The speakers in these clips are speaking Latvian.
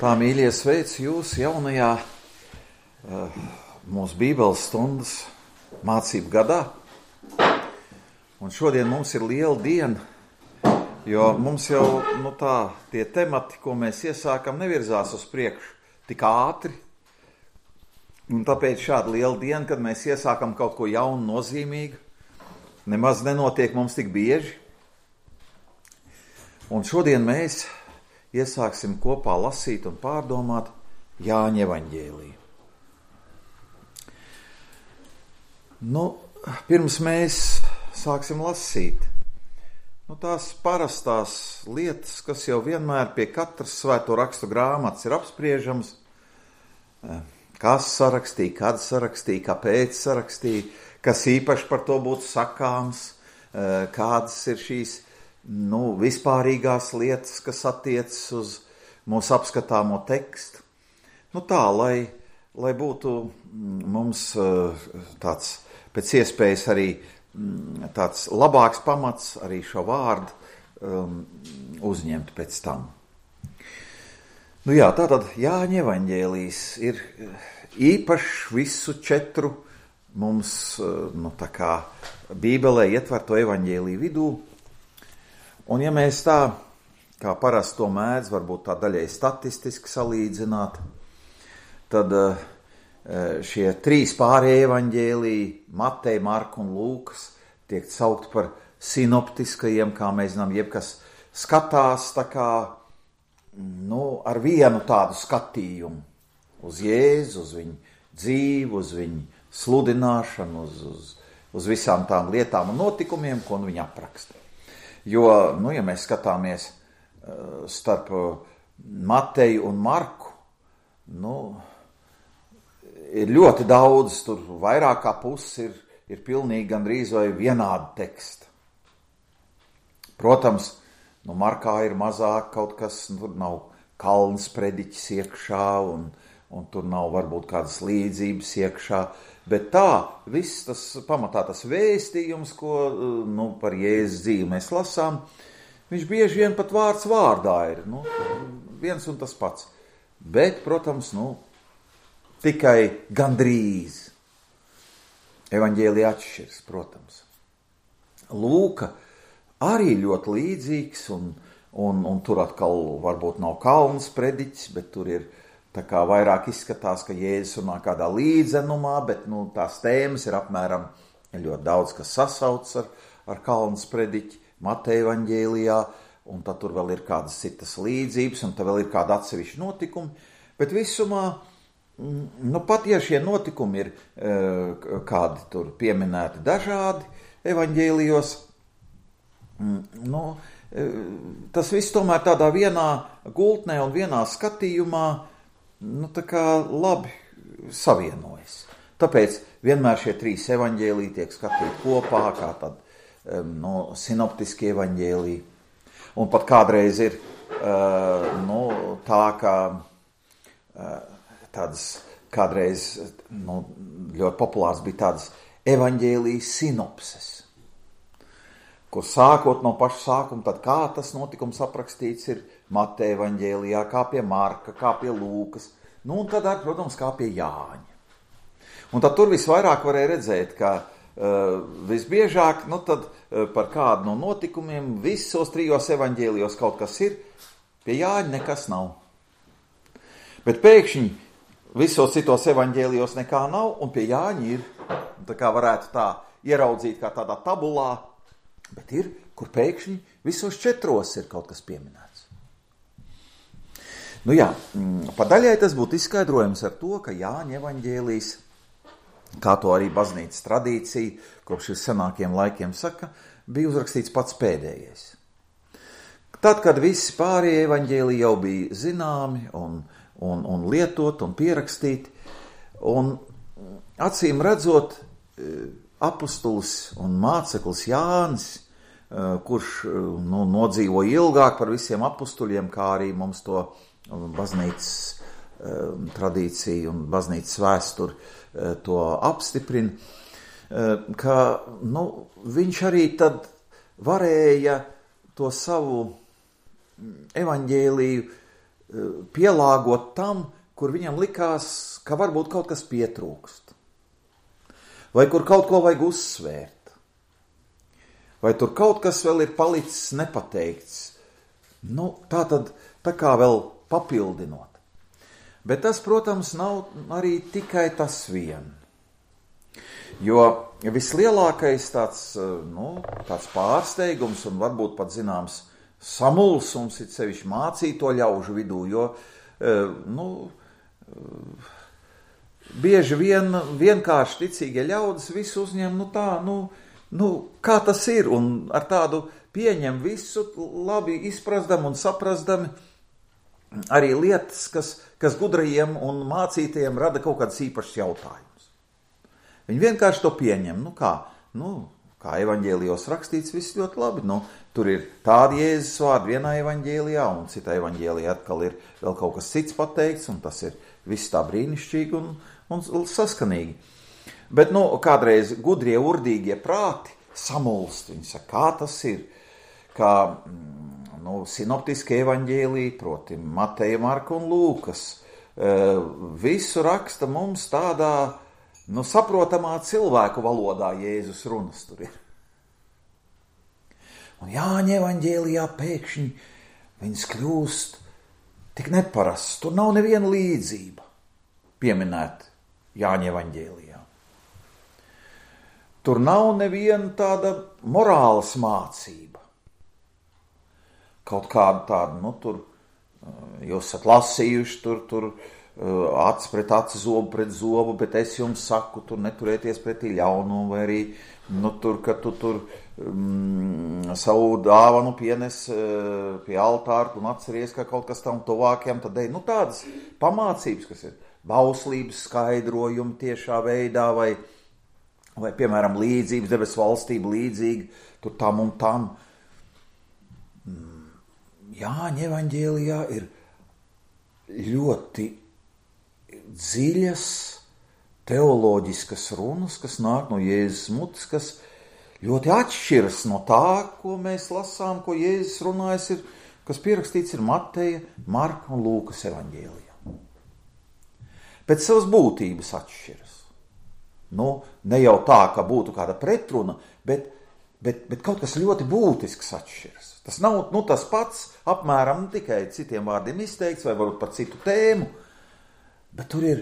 Tā, mīļie, sveicu jūs jaunajā mūsu Bībeles stundas mācību gadā. Un šodien mums ir liela diena, jo mums jau tie temati, ko mēs iesākam, nevirzās uz priekšu tik ātri. Un tāpēc šāda liela diena, kad mēs iesākam kaut ko jaunu, nozīmīgu, nemaz nenotiek mums tik bieži. Un šodien mēs iesāksim kopā lasīt un pārdomāt Jāņa evaņģēliju. Pirms mēs sāksim lasīt, tās parastās lietas, kas jau vienmēr pie katras svēto rakstu grāmatas ir apspriežams, kas sarakstīja, kad sarakstīja, kāpēc sarakstīja, kas īpaši par to būtu sakāms, kādas ir šīs vispārīgās lietas, kas attiecas uz mūsu apskatāmo tekstu. Tā, lai būtu mums tāds pēc iespējas arī tāds labāks pamats arī šo vārdu uzņemt pēc tam. Tātad Jāņa evaņģēlijs ir īpašs visu 4 mums tā kā Bībelē ietverto evaņģēliju vidū. Un ja mēs tā, kā parasti to mēdz, varbūt tā daļai statistiski salīdzināt, tad šie 3 pārējie evaņģēliji, Mateja, Marka un Lūkas, tiek saukt par sinoptiskajiem, kā mēs zinām, jebkas skatās tā kā, ar vienu tādu skatījumu uz Jēzu, uz viņu dzīvi, uz viņu sludināšanu, uz visām tām lietām un notikumiem, ko viņi apraksta. Jo, ja mēs skatāmies starp Mateju un Marku, ir ļoti daudz, tur vairāk kā pusi ir pilnīgi gandrīz vai vienādi teksti. Protams, Markā ir mazāk kaut kas, tur nav kalns prediķis iekšā un tur nav varbūt kādas līdzības iekšā, bet tā, viss tas pamatā tas vēstījums, ko par Jēzus dzīvi mēs lasām, viņš bieži vien pat vārds vārdā ir, viens un tas pats. Bet, protams, tikai gandrīz. Evaņģēlija atšķiras, protams. Lūka arī ļoti līdzīgs, un tur atkal varbūt nav kalns prediķis, bet tur ir tā kā vairāk izskatās, ka Jēzus runā kādā līdzenumā, bet tās tēmas ir apmēram ļoti daudz, kas sasauc ar kalns prediķi Mateja evaņģēlijā, un tad tur vēl ir kādas citas līdzības, un tad vēl ir kāda atsevišķa notikumi, bet visumā, pat ja šie notikumi ir kādi tur pieminēti dažādi evaņģēlijos, tas viss tomēr tādā vienā gultnē un vienā skatījumā tā kā labi savienojas. Tāpēc vienmēr šie 3 evaņģēliji tiek skatīti kopā, kā tad sinoptiski evaņģēliji. Un pat kādreiz ir tā, ka tādas kādreiz ļoti populārs bija tādas evaņģēlijas sinopses, kur sākot no paša sākuma, tad kā tas notikums aprakstīts ir Mateja evaņģēlijā, kā pie Marka, kā pie Lūkas, un tad, protams, kā pie Jāņa. Un tad tur visvairāk varēja redzēt, ka visbiežāk, tad par kādu no notikumiem visos 3 evaņģēlijos kaut kas ir, pie Jāņa nekas nav. Bet pēkšņi visos citos evaņģēlijos nekā nav, un pie Jāņa ir, tā kā varētu tā ieraudzīt kā tādā tabulā, bet ir, kur pēkšņi visos 4 ir kaut kas pieminēts. Pa daļai tas būtu izskaidrojums ar to, ka Jāņa evaņģēlijs, kā to arī baznīcas tradīcija, kopš senākiem laikiem saka, bija uzrakstīts pats pēdējais. Tad, kad visi pārējie evaņģēliji jau bija zināmi un lietot un pierakstīti, un acīm redzot, apustulis un māceklis Jānis, kurš nodzīvo ilgāk par visiem apustuļiem, kā arī mums to baznīcas tradīcija un baznīcas vēsture to apstiprina, ka viņš arī tad varēja to savu evaņģēliju pielāgot tam, kur viņam likās, ka varbūt kaut kas pietrūkst. Vai kur kaut ko vajag uzsvērt. Vai tur kaut kas vēl ir palicis nepateikts. Tā kā vēl papildinot. Bet tas, protams, nav arī tikai tas vien. Jo vislielākais tāds pārsteigums un varbūt pat zināms samulsums ir sevišķi mācīto ļaužu vidū, jo bieži vien vienkārši ticīgie ļaudis visu uzņem, kā tas ir, un ar tādu pieņem visu labi izprasdam un saprasdami arī lietas, kas gudrajiem un mācītajiem rada kaut kāds īpašs jautājums. Viņi vienkārši to pieņem, kā evaņģēlijos rakstīts, viss ļoti labi, tur ir tādi Jēzus vārdi vienā evaņģēlijā, un citā evaņģēlijā atkal ir vēl kaut kas cits pateikts, un tas ir viss tā brīnišķīgi un saskanīgi. Bet, kādreiz gudrie, urdīgie prāti samulst, viņi saka, kā tas ir, kā, sinoptiskie evaņģēliji, proti Mateja, Marka un Lūkas, visu raksta mums tādā, saprotamā cilvēku valodā Jēzus runas tur ir. Un Jāņa evaņģēlijā pēkšņi viņas kļūst tik neparasts. Tur nav neviena līdzība pieminēta Jāņa evaņģēlijā. Tur nav neviena tāda morāles mācība. Kaut kāda tāda, tur jūs esat lasījuši, tur acis pret aci, zobu pret zobu, bet es jums saku, tur neturēties pretī ļaunumu, vai arī, ka tu savu dāvanu pienes pie altāra un atceries, ka kaut kas tam tuvākiem, tad ej, tādas pamācības, kas ir bauslības skaidrojumi tiešā veidā, vai piemēram, līdzības, debesu valstība līdzīga, tur tam un tam. Jāņa evaņģēlijā ir ļoti dziļas teoloģiskas runas, kas nāk no Jēzus mutes, kas ļoti atšķiras no tā, ko mēs lasām, ko Jēzus runājas, kas pierakstīts ir Mateja, Marka un Lūkas evaņģēlijā. Pēc savas būtības atšķiras. Ne jau tā, ka būtu kāda pretruna, bet kaut kas ļoti būtisks atšķiras. Tas nav tas pats, apmēram tikai citiem vārdiem izteikts, vai varbūt par citu tēmu, bet tur ir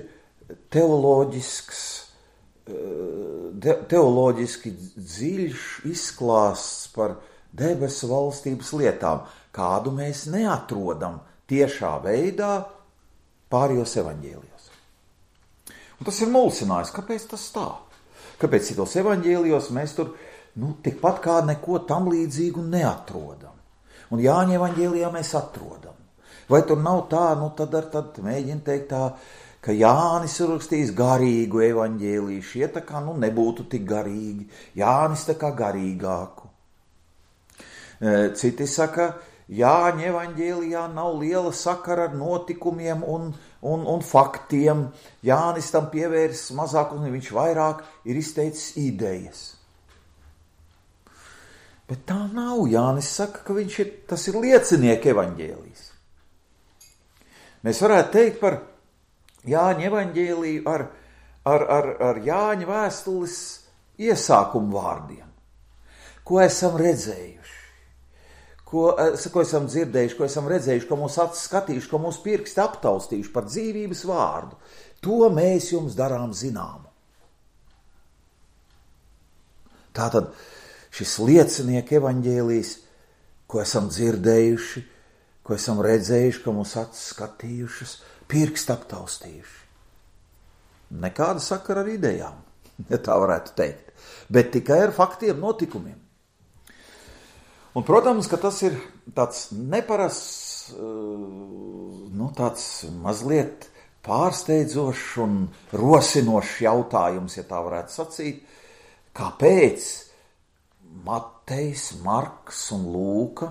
teoloģiski dziļš izklāsts par debesu valstības lietām, kādu mēs neatrodam tiešā veidā pārējos evaņģēlijos. Un tas ir mulsinājis, kāpēc tas tā? Kāpēc citos evaņģēlijos mēs tur tikpat kā neko tam līdzīgu neatrodam? Un Jāņa evaņģēlijā mēs atrodam. Vai tur nav tā, tad mēģina teikt tā, ka Jānis ir rakstījis garīgu evaņģēliju, šie tā kā nebūtu tik garīgi, Jānis tā kā garīgāku. Citi saka, Jāņa evaņģēlijā nav liela sakara ar notikumiem un faktiem, Jānis tam pievērs mazāk un viņš vairāk ir izteicis idejas. Bet tā nav. Jānis saka, ka tas ir liecinieka evaņģēlijs. Mēs varētu teikt par Jāņa evaņģēliju ar Jāņa vēstules iesākumu vārdiem. Ko esam redzējuši, ko esam dzirdējuši, ko esam redzējuši, ko mūsu acis skatījuši, ko mūsu pirksti aptaustījuši par dzīvības vārdu. To mēs jums darām zināmu. Tātad šis liecinieka evaņģēlijs, ko esam dzirdējuši, ko esam redzējuši, ko mūsu acis skatījušas, pirksti aptaustījuši. Nekāda sakara ar idejām, ja tā varētu teikt, bet tikai ar faktiem, notikumiem. Un, protams, ka tas ir tāds neparasts, tāds mazliet pārsteidzošs un rosinošs jautājums, ja tā varētu sacīt, kāpēc Matejs, Marks un Lūka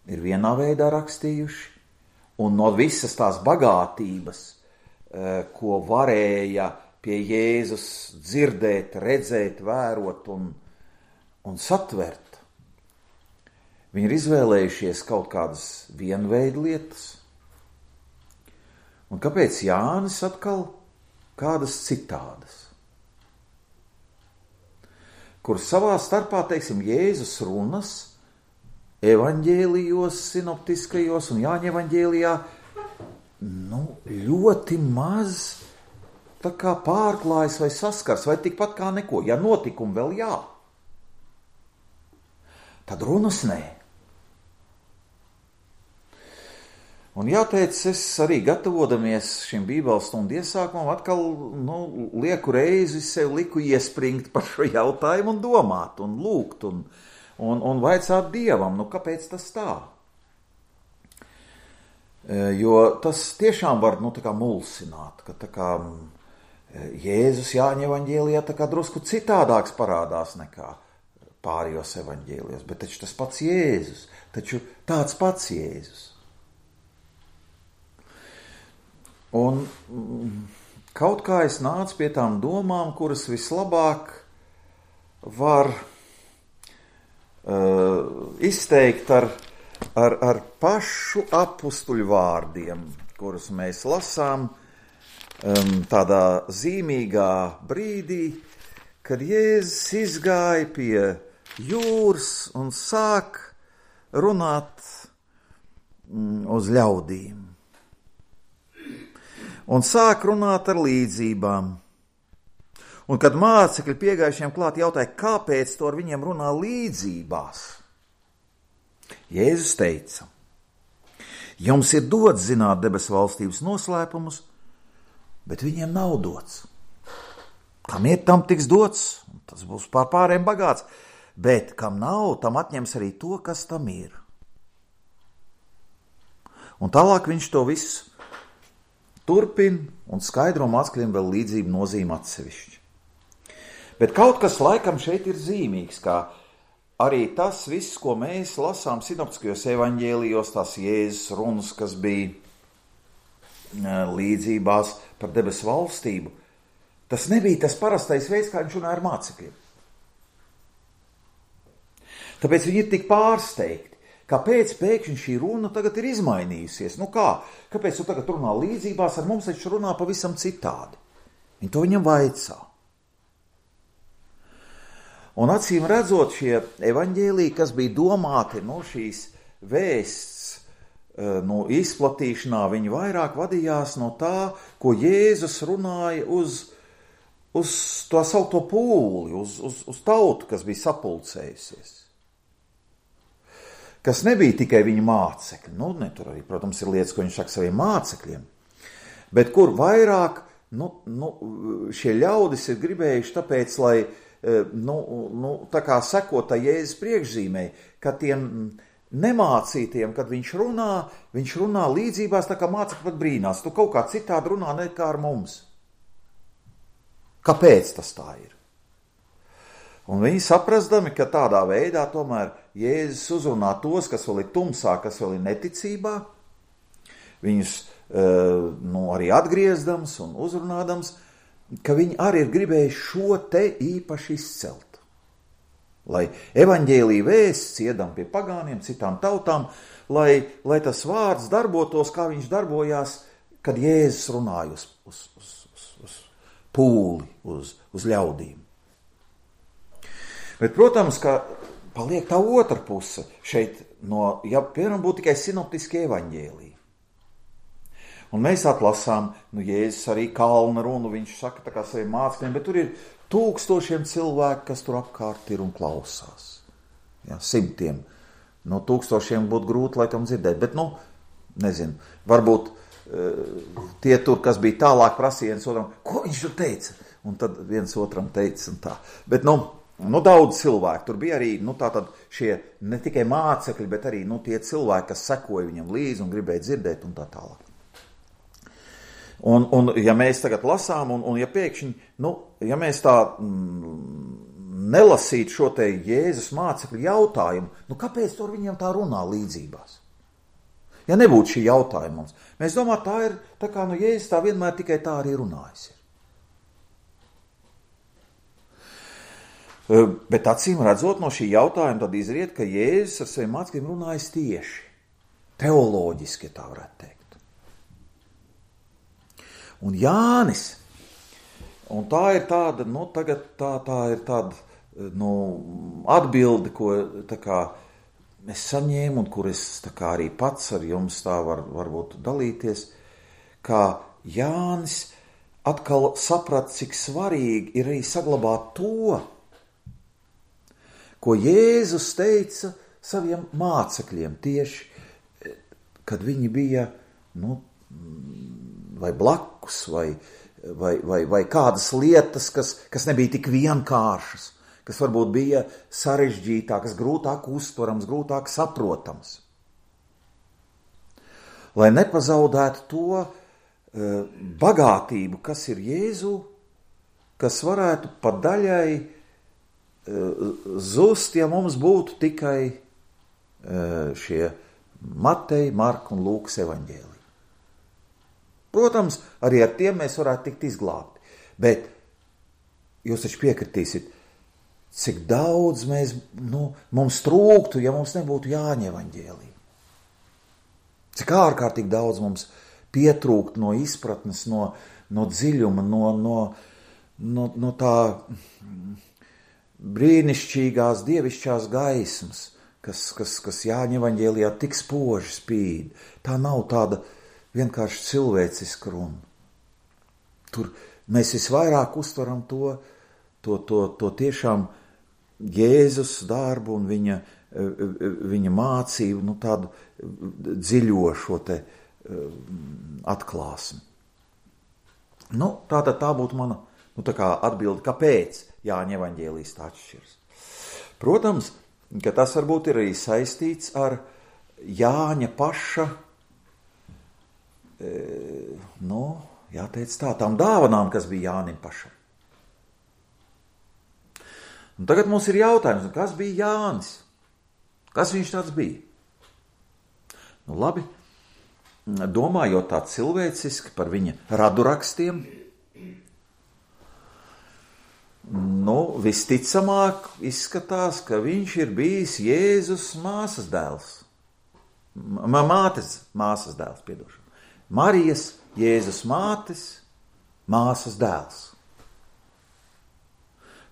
ir vienā veidā rakstījuši, un no visas tās bagātības, ko varēja pie Jēzus dzirdēt, redzēt, vērot un satvert, viņi ir izvēlējušies kaut kādas vienveidu lietas, Un kāpēc Jānis atkal kādas citādas? Kur savā starpā, teiksim, Jēzus runas evaņģēlijos, sinoptiskajos un Jāņa evaņģēlijā, ļoti maz tā kā pārklājas vai saskars, vai tikpat kā neko. Ja notikumi vēl jā, tad runas nē. Un jāteic, es arī gatavodamies šim bībeles stundu iesākumam, atkal lieku reizi sev liku iespringt par šo jautājumu un domāt, un lūgt, un vaicāt Dievam, kāpēc tas tā? Jo tas tiešām var, tā kā mulsināt, ka tā kā Jēzus Jāņa evaņģēlijā tā kā drusku citādāks parādās nekā pārējos evaņģēlijos, bet taču tas pats Jēzus, taču tāds pats Jēzus. Un kaut kā es nācu pie tām domām, kuras vislabāk var izteikt ar pašu apustuļu vārdiem, kurus mēs lasām tādā zīmīgā brīdī, kad Jēzus izgāja pie jūras un sāk runāt uz ļaudīm. Un sāk runāt ar līdzībām. Un kad mācekļi piegājušiem klāt jautāja, kāpēc to ar viņiem runā līdzībās, Jēzus teica: jums ir dots zināt debesu valstības noslēpumus, bet viņiem nav dots. Kam ir, tam tiks dots, un tas būs pārējiem bagāts, bet kam nav, tam atņems arī to, kas tam ir. Un tālāk viņš to visu turpina un skaidro mācekļiem vēl līdzību nozīme atsevišķi. Bet kaut kas laikam šeit ir zīmīgs, kā arī tas viss, ko mēs lasām sinoptiskajos evaņģēlijos, tās Jēzus runas, kas bija līdzībās par debesu valstību, tas nebija tas parastais veids, kā viņš runāja ar mācekļiem. Tāpēc viņi ir tik pārsteigti. Kāpēc pēkšņi šī runa tagad ir izmainījusies? Kāpēc tu tagad runā līdzībās, ar mums taču runā pavisam citādi? Viņi to viņam vaicā. Un acīm redzot, šie evaņģēliji, kas bija domāti šīs vēsts izplatīšanā, viņi vairāk vadījās no tā, ko Jēzus runāja uz to saukto pūli, uz tautu, kas bija sapulcējusies. Kas nebija tikai viņa mācekļi. Tur arī, protams, ir lietas, ko viņš saka saviem mācekļiem. Bet kur vairāk šie ļaudis ir gribējuši tāpēc, lai tā kā sekot Jēzus priekšzīmei, ka tiem nemācītiem, kad viņš runā līdzībās, tā kā mācekļi pat brīnās. Tu kaut kā citādi runā nekā ar mums. Kāpēc tas tā ir? Un viņi saprastami, ka tādā veidā tomēr Jēzus uzrunā tos, kas vēl ir tumsā, kas vēl ir neticībā, viņus arī atgriezdams un uzrunādams, ka viņi arī ir gribējuši šo te īpaši izcelt. Lai evaņģēlija vēsts iedam pie pagāniem, citām tautām, lai tas vārds darbotos, kā viņš darbojās, kad Jēzus runāja uz pūli, uz ļaudīm. Bet, protams, ka paliek tā otra puse šeit, piemēram, būtu tikai sinoptiskie evaņģēliji. Un mēs atlasām, Jēzus arī kalna runu, viņš saka tā kā saviem mācekļiem, bet tur ir tūkstošiem cilvēku, kas tur apkārt ir un klausās. Simtiem. Tūkstošiem būtu grūti laikam dzirdēt, bet, nezinu, varbūt tie tur, kas bija tālāk, prasīja viens otram, ko viņš tur teica? Un tad viens otram teica un tā. Bet, daudz cilvēku. Tur bija arī tātad šie ne tikai mācekļi, bet arī tie cilvēki, kas sekoja viņam līdzi un gribēja dzirdēt un tā tālāk. Un ja mēs tagad lasām, un ja pēkšņi, ja mēs tā nelasītu šo te Jēzus mācekļu jautājumu, kāpēc tur viņiem tā runā līdzībās? Ja nebūtu šī jautājuma mums, mēs domājam, tā ir, tā kā Jēzus tā vienmēr tikai tā arī runājis ir. Bet acīm redzot no šī jautājuma, tad izriet, ka Jēzus ar saviem mācekļiem runājas tieši, teoloģiski, tā varētu teikt. Un Jānis, un tā ir tāda, tagad tā ir tāda, atbildi, ko tā kā es saņēmu, un kur es tā kā arī pats ar jums tā varbūt dalīties, kā Jānis atkal saprat, cik svarīgi ir arī saglabāt to, ko Jēzus teica saviem mācekļiem tieši, kad viņi bija, vai blakus, vai kādas lietas, kas nebija tik vienkāršas, kas varbūt bija sarežģītākas, grūtāk uztverams, grūtāk saprotams. Lai nepazaudētu to bagātību, kas ir Jēzu, kas varētu pa daļai zust, ja mums būtu tikai šie Mateja, Marka un Lūkas evaņģēliji. Protams, arī ar tiem mēs varētu tikt izglābti, bet jūs taču piekritīsiet, cik daudz mums trūktu, ja mums nebūtu Jāņa evaņģēlija. Cik ārkārtīgi daudz mums pietrūkt no izpratnes, no dziļuma, no tā brīnišķīgās dievišķās gaismas, kas Jāņa evaņģēlijā tik spoži spīd. Tā nav tāda vienkārši cilvēciska runa. Tur mēs visvairāk uztveram to tiešām Jēzus darbu un viņa mācību, tādu dziļošo te atklāsmi. Tātad tā būtu mana tā kā atbilde, kāpēc Jāņa evaņģēlijs tā atšķiras. Protams, ka tas varbūt ir arī saistīts ar Jāņa paša, jāteic tā, tām dāvanām, kas bija Jānim pašam. Un tagad mums ir jautājums, kas bija Jānis? Kas viņš tāds bija? Labi, domājot tā cilvēciski par viņa radurakstiem, visticamāk izskatās, ka viņš ir bijis Jēzus māsas dēls. Māsas dēls, piedošana. Marijas, Jēzus māsas dēls.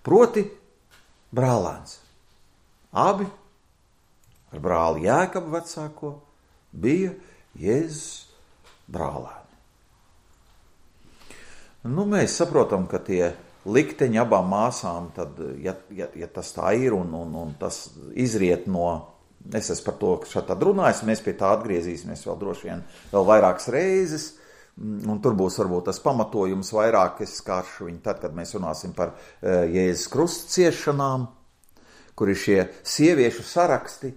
Proti, brālēns. Abi ar brāli Jēkabu vecāko bija Jēzus brālēni. Mēs saprotam, ka tie likteņi abām māsām, tad, ja tas tā ir un tas izriet no, es esmu par to šādi runājis, mēs pie tā atgriezīsimies vēl droši vien vēl vairākas reizes, un tur būs varbūt tas pamatojums vairāk, es skāršu viņu tad, kad mēs runāsim par Jēzus krusta ciešanām, kur ir šie sieviešu saraksti,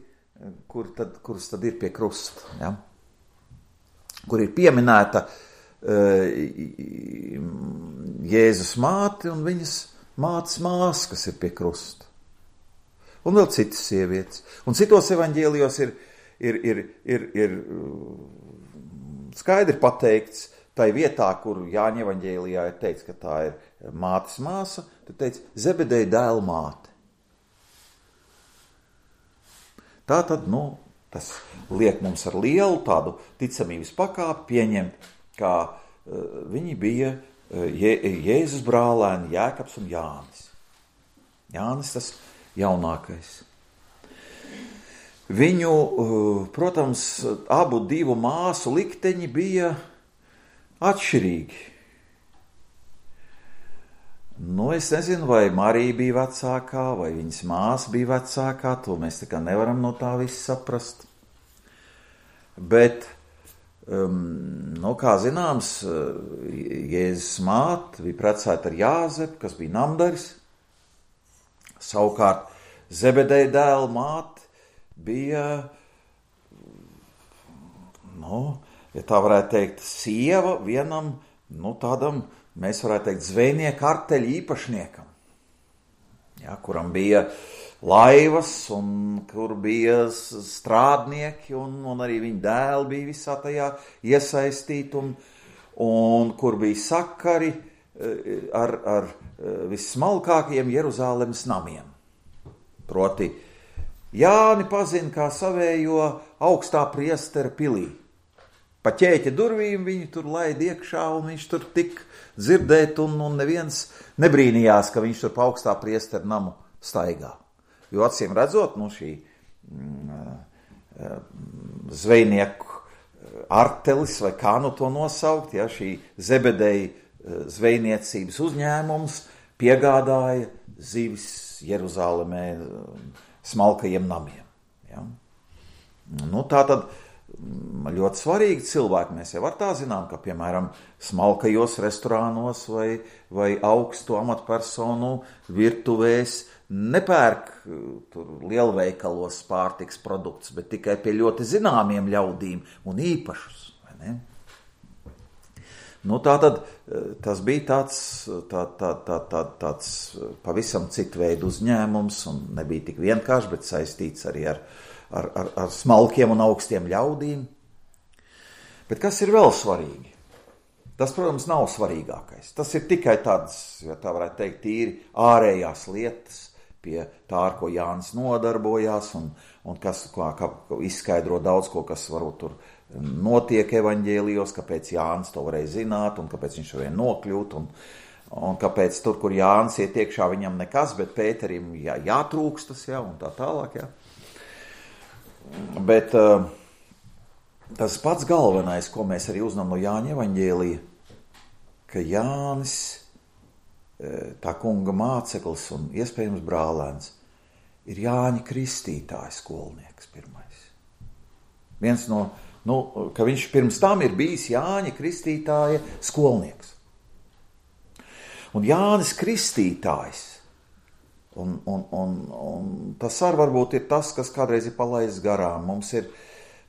kurus tad ir pie krusta, ja? Kur ir pieminēta Jēzus māte un viņas mātes māsa, kas ir pie krusta. Un vēl citas sievietes. Un citos evaņģēlijos ir skaidri pateikts, tai vietā, kur Jāņa evaņģēlijā ir teikts, ka tā ir mātes māsa, tad teikts Zebedeja dēla māte. Tātad, tas liek mums ar lielu tādu ticamības pakāpi pieņemt, kā viņi bija Jēzus brālēni Jēkabs un Jānis. Jānis tas jaunākais. Viņu, protams, abu divu māsu likteņi bija atšķirīgi. Es nezinu, vai Marija bija vecākā, vai viņas māsa bija vecākā, to mēs tā kā nevaram no tā visu saprast. Bet, kā zināms, Jēzus māte bija precēta ar Jāzepu, kas bija namdaris. Savukārt Zebedeja dēla māte bija, ja tā varētu teikt, sieva vienam, tādam, mēs varētu teikt, zvejnieku arteļu īpašniekam, ja, kuram bija laivas un kur bija strādnieki un arī viņa dēli bija visā tajā iesaistīti un kur bija sakari ar vissmalkākajiem Jeruzālemes namiem. Proti, Jāni pazina kā savējo augstā priestera pilī. Pa ķēķa durvīm viņu tur laid iekšā, un viņš tur tik dzirdēt, un neviens nebrīnījās, ka viņš tur pa augstā priesteru namu staigā. Jo acīm redzot, šī zvejnieku artelis, vai kā to nosaukt, ja, šī Zebedeja zvejniecības uzņēmums piegādāja zivis Jeruzālemē smalkajiem namiem. Ja. Tātad ļoti svarīgi cilvēki. Mēs jau ar tā zinām, ka, piemēram, smalkajos restorānos vai augstu amatpersonu virtuvēs nepērk tur lielveikalos pārtiks produktus, bet tikai pie ļoti zināmiem ļaudīm un īpašus. Vai ne? Tātad tas bija tāds pavisam citu veidu uzņēmums un nebija tik vienkārši, bet saistīts arī ar smalkiem un augstiem ļaudīm. Bet kas ir vēl svarīgi? Tas, protams, nav svarīgākais. Tas ir tikai tāds, ja tā varētu teikt, tīri ārējās lietas pie tā, ar ko Jānis nodarbojās un kas izskaidro daudz ko, kas varbūt tur notiek evaņģēlijos, kāpēc Jānis to varēja zināt un kāpēc viņš varēja nokļūt un kāpēc tur, kur Jānis iet iekšā, viņam nekas, bet Pēterim jātrūkstas, un tā tālāk, Bet tas pats galvenais, ko mēs arī uzzinām no Jāņa evaņģēlija, ka Jānis, tā kunga māceklis un iespējams brālēns, ir Jāņa Kristītāja skolnieks pirmais. Viens no, ka viņš pirms tam ir bijis Jāņa Kristītāja skolnieks. Un Jānis Kristītājs, un tas arī varbūt ir tas, kas kādreiz ir palaists garām. Mums ir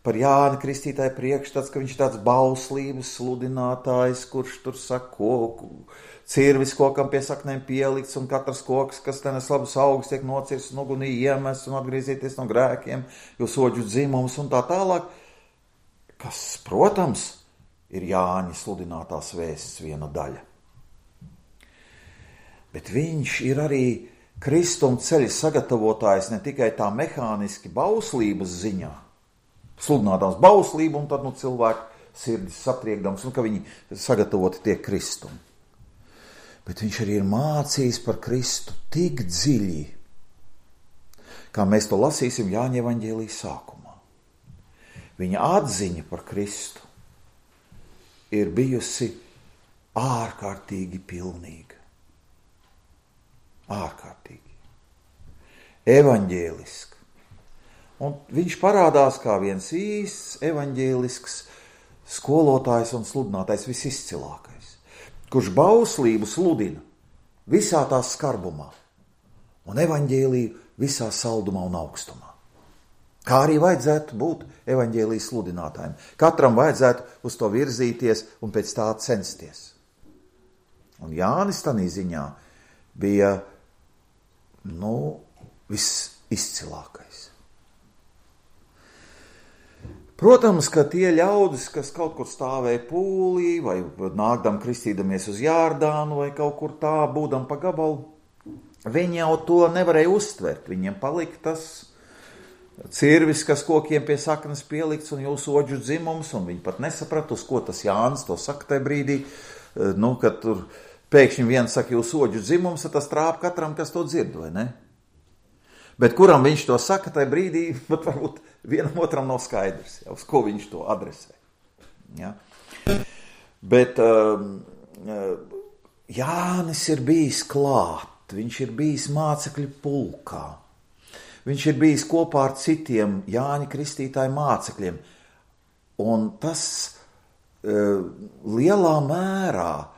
par Jāni Kristītāju priekšstats, ka viņš ir tāds bauslības sludinātājs, kurš tur saka koku, cirvis kokam pie saknēm pielikts, un katrs koks, kas tenes labus augus, tiek nocirsts un ugunī iemests un atgriezieties no grēkiem, jo soģu dzimums un tā tālāk. Kas, protams, ir Jāņa sludinātās vēsts viena daļa. Bet viņš ir arī Kristuma ceļa sagatavotājs ne tikai tā mehāniski bauslības ziņā, sludinātās bauslību un tad cilvēku sirdis satriekdams un ka viņi sagatavoti tiek Kristum. Bet viņš arī ir mācījis par Kristu tik dziļi, kā mēs to lasīsim Jāņa evaņģēlija sākumā. Viņa atziņa par Kristu ir bijusi ārkārtīgi pilnīga. Ārkārtīgi. Evaņģēliska. Un viņš parādās kā viens īsts evaņģēlisks skolotājs un sludinātājs visizcilākais, kurš bauslību sludina visā tās skarbumā un evaņģēliju visā saldumā un augstumā. Kā arī vajadzētu būt evaņģēlijas sludinātājiem. Katram vajadzētu uz to virzīties un pēc tā censties. Un Jānis tanī ziņā bija visizcilākais. Protams, ka tie ļaudis, kas kaut kur stāvēja pūlī, vai nākdam kristīdamies uz Jārdānu, vai kaut kur tā, būdam pa gabalu, viņi jau to nevarēja uztvert. Viņiem palika tas cirvis, kas kokiem pie saknes pielikts un jūsu oģu dzimums, un viņi pat nesaprata, uz ko tas Jānis to saka tajā brīdī, kad tur pēkšņi viens saka jūsu oģu dzimums, tas trāp katram, kas to dzird, vai ne? Bet kuram viņš to saka tajā brīdī, bet varbūt vienam otram nav skaidrs, uz ko viņš to adresē. Ja? Bet Jānis ir bijis klāt, viņš ir bijis mācekļu pulkā, viņš ir bijis kopā ar citiem Jāņa Kristītāja mācekļiem, un tas lielā mērā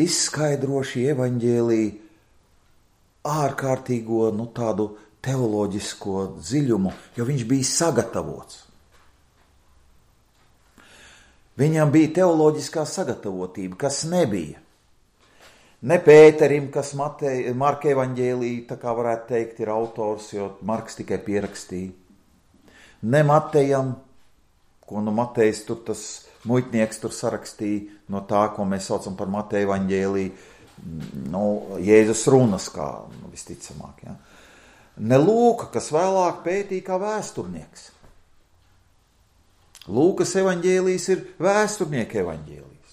izskaidro šī evaņģēlija ārkārtīgo, tādu teoloģisko dziļumu, jo viņš bija sagatavots. Viņam bija teoloģiskā sagatavotība, kas nebija. Ne Pēterim, kas Marka evaņģēlija, tā kā varētu teikt, ir autors, jo Marks tikai pierakstīja. Ne Matejam, ko Matejs tur tas muitnieks tur sarakstīja no tā, ko mēs saucam par Mateja evaņģēliju, Jēzus runas kā visticamāk. Ja. Ne Lūka, kas vēlāk pētīja kā vēsturnieks. Lūkas evaņģēlijs ir vēsturnieka evaņģēlijs.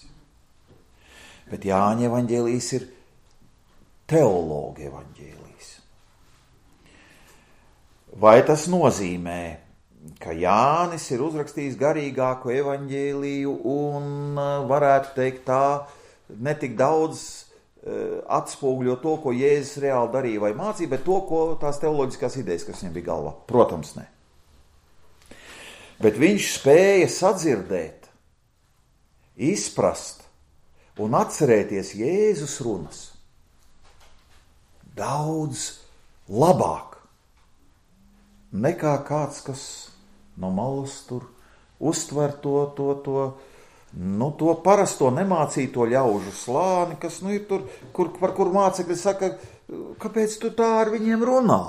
Bet Jāņa evaņģēlijs ir teologa evaņģēlijs. Vai tas nozīmē, ka Jānis ir uzrakstījis garīgāku evaņģēliju un varētu teikt tā, netik daudz atspoguļo to, ko Jēzus reāli darīja vai mācīja, bet to, ko tās teoloģiskās idejas, kas viņam bija galvā? Protams, ne. Bet viņš spēja sadzirdēt, izprast un atcerēties Jēzus runas daudz labāk nekā kāds, kas no malas tur uztver to parasto nemācīto ļaužu slāni, kas ir tur, par kur mācekļi saka, kāpēc tu tā ar viņiem runā?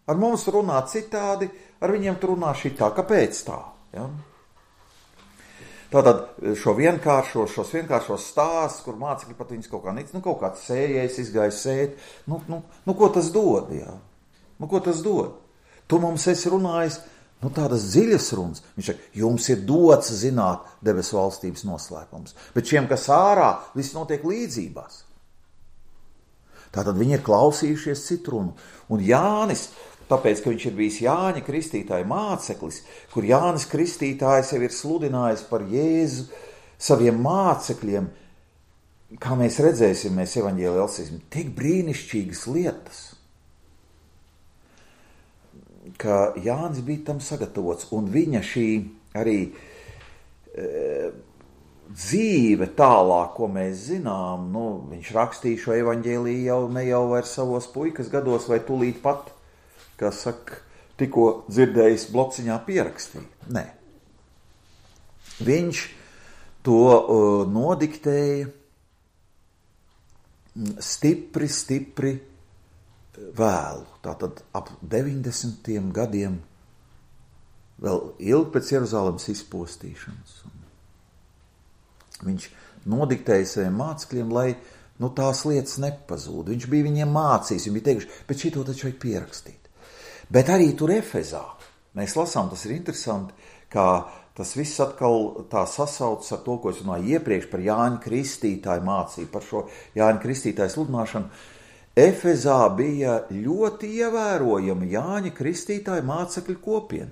Ar mums runā citādi, ar viņiem tu runā šitā. Kāpēc tā? Ja? Tātad šos vienkāršos stāstus, kur mācekļi pat viņus kaut kā nic, kaut kāds sējējs izgāja sēt, ko tas dod? Ja? Ko tas dod? Tu mums esi runājis, tādas dziļas runas. Viņš saka, jums ir dots zināt debesu valstības noslēpums. Bet šiem, kas ārā, viss notiek līdzībās. Tātad viņi ir klausījušies citu runu. Un Jānis, tāpēc, ka viņš ir bijis Jāņa Kristītāja māceklis, kur Jānis Kristītājs jau ir sludinājis par Jēzu saviem mācekļiem, kā mēs redzēsim, mēs evaņģēlijā lasīsim, tik brīnišķīgas lietas, ka Jānis bija tam sagatavots, un viņa šī arī dzīve tālāk, ko mēs zinām, viņš rakstīja šo evaņģēliju ne jau vairs savos puikas gados, vai tūlīt pat, kā saka, tikko dzirdējis blociņā pierakstīja. Nē. Viņš to nodiktēja stipri vēlu, tātad ap 90. gadiem, vēl ilgi pēc Jeruzalemes izpostīšanas. Viņš nodiktēja saviem mācekļiem, lai tās lietas nepazūd. Viņš bija viņiem mācījis, viņi bija teikuši, bet šito taču vajag pierakstīt. Bet arī tur Efezā, mēs lasām, tas ir interesanti, kā tas viss atkal tā sasaucas ar to, ko es runāju iepriekš par Jāņa Kristītāju mācību, par šo Jāņa Kristītāju sludināšanu. Efezā bija ļoti ievērojama Jāņa Kristītāja mācekļu kopiena.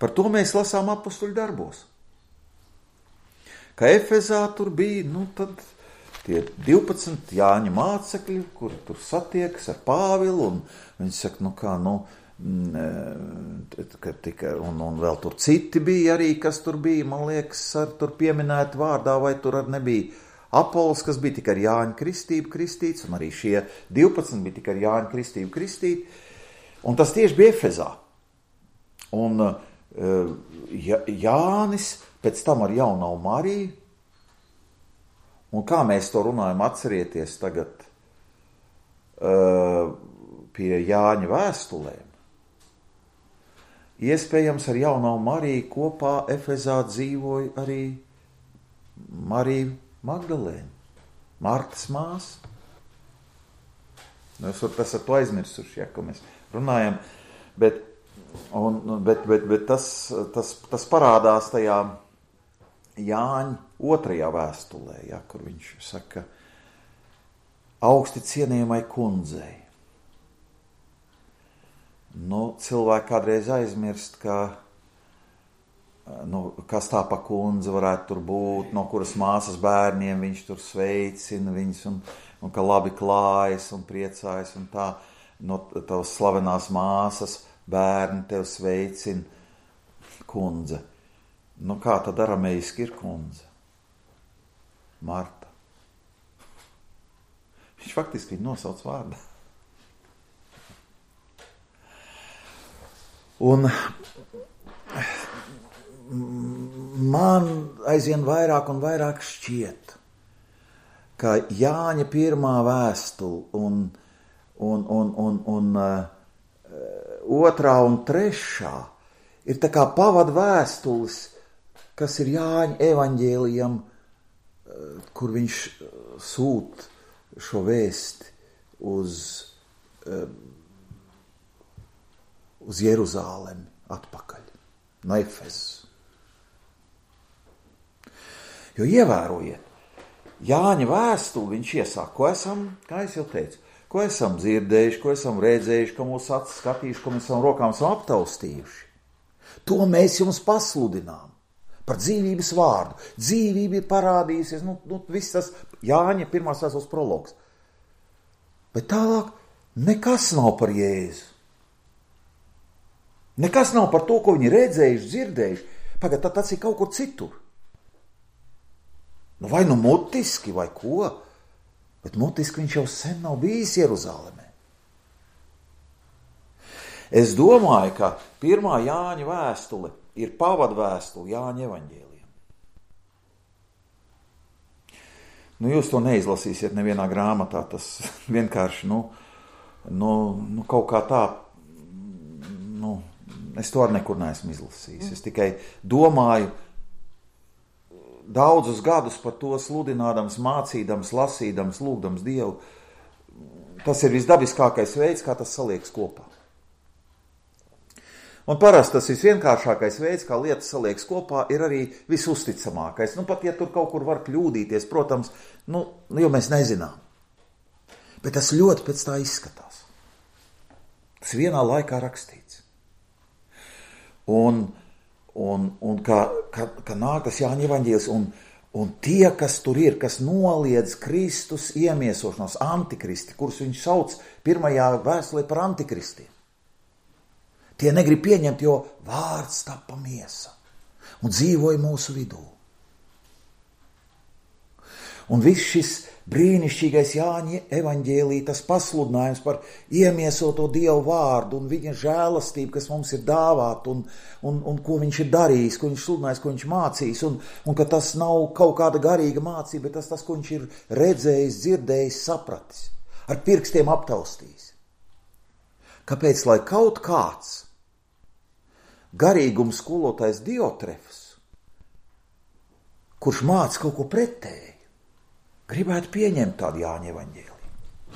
Par to mēs lasām apustuļu darbos. Ka Efezā tur bija, tad tie 12 Jāņa mācekļi, kuri tur satiekas ar Pāvilu, un viņi saka, un vēl tur citi bija arī, kas tur bija, man liekas, ar tur pieminēt vārdā, vai tur ar nebija Apols, kas bija tikai ar Jāņa kristību kristīts, un arī šie 12 bija tikai ar Jāņa kristību kristīti, un tas tieši bija Efezā. Un Jānis pēc tam ar Jaunavu Mariju, un kā mēs to runājam, atcerieties tagad pie Jāņa vēstulēm, iespējams ar Jaunavu Mariju kopā Efezā dzīvoja arī Marija Magdalēna, Martas māsa. Jūs varat esat to aizmirsuši, ja, ko mēs runājam, bet tas parādās tajā Jāņa 2. vēstulē, ja, kur viņš saka, augsti cienījamai kundzei. Cilvēki kādreiz aizmirst, ka kas tā pa kundze varētu tur būt, no kuras māsas bērniem viņš tur sveicina viņus, un ka labi klājas un priecājas, un tā, no tavas slavenās māsas bērni tev sveicina kundze. Kā tad arameiski ir kundze? Marta. Viņš faktiski viņu nosauc vārdā. Un man aizvien vairāk un vairāk šķiet, ka Jāņa 1. vēstule un 2. un 3. ir tā kā pavadu vēstules, kas ir Jāņa evaņģēlijam, kur viņš sūt šo vēsti uz Jeruzālemi atpakaļ. no Efezas. Jo ievērojiet, Jāņa vēstuli viņš iesāk, ko esam, kā es jau teicu, ko esam dzirdējuši, ko esam redzējuši, ko mūsu acis skatījuši, ko mēs savam rokām esam aptaustījuši. To mēs jums pasludinām par dzīvības vārdu. Dzīvība ir parādījusies, viss tas Jāņa pirmās vēstules prologs. Bet tālāk nekas nav par Jēzu. Nekas nav par to, ko viņi redzējuši, dzirdējuši. Pagad, tas ir kaut kur citur. Vai nu mutiski, vai ko, bet mutiski viņš jau sen nav bijis Jeruzalemē. Es domāju, ka pirmā Jāņa vēstule ir pavadvēstule Jāņa evaņģēlijam. Jūs to neizlasīsiet nevienā grāmatā, tas vienkārši, kaut kā tā, es to arī nekur neesmu izlasījis. Es tikai domāju, daudzus gadus par to sludinādams, mācīdams, lasīdams, lūgdams Dievu. Tas ir visdabiskākais veids, kā tas saliekas kopā. Un parasti tas visvienkāršākais veids, kā lietas saliekas kopā, ir arī visusticamākais. Pat ja tur kaut kur var kļūdīties, protams, jo mēs nezinām. Bet tas ļoti pēc tā izskatās. Tas vienā laikā rakstīts. Un ka nāk tas Jāņa evaņģēlijs, un tie, kas tur ir, kas noliedz Kristus iemiesošanos, antikristi, kurus viņš sauc pirmajā vēstulē par antikristiem, tie negrib pieņemt, jo vārds tapa miesa un dzīvoja mūsu vidū. Un viss šis brīnišķīgais Jāņa evaņģēlija, tas pasludinājums par iemiesoto Dievu vārdu un viņa žēlastību, kas mums ir dāvāta un ko viņš ir darījis, ko viņš sludinājis, ko viņš mācījis, un ka tas nav kaut kāda garīga mācība, bet tas, ko viņš ir redzējis, dzirdējis, sapratis, ar pirkstiem aptaustījis. Kāpēc, lai kaut kāds garīgums skolotājs Diotrefs, kurš māca kaut ko pretēji, gribētu pieņemt tādu Jāņa evaņģēliju.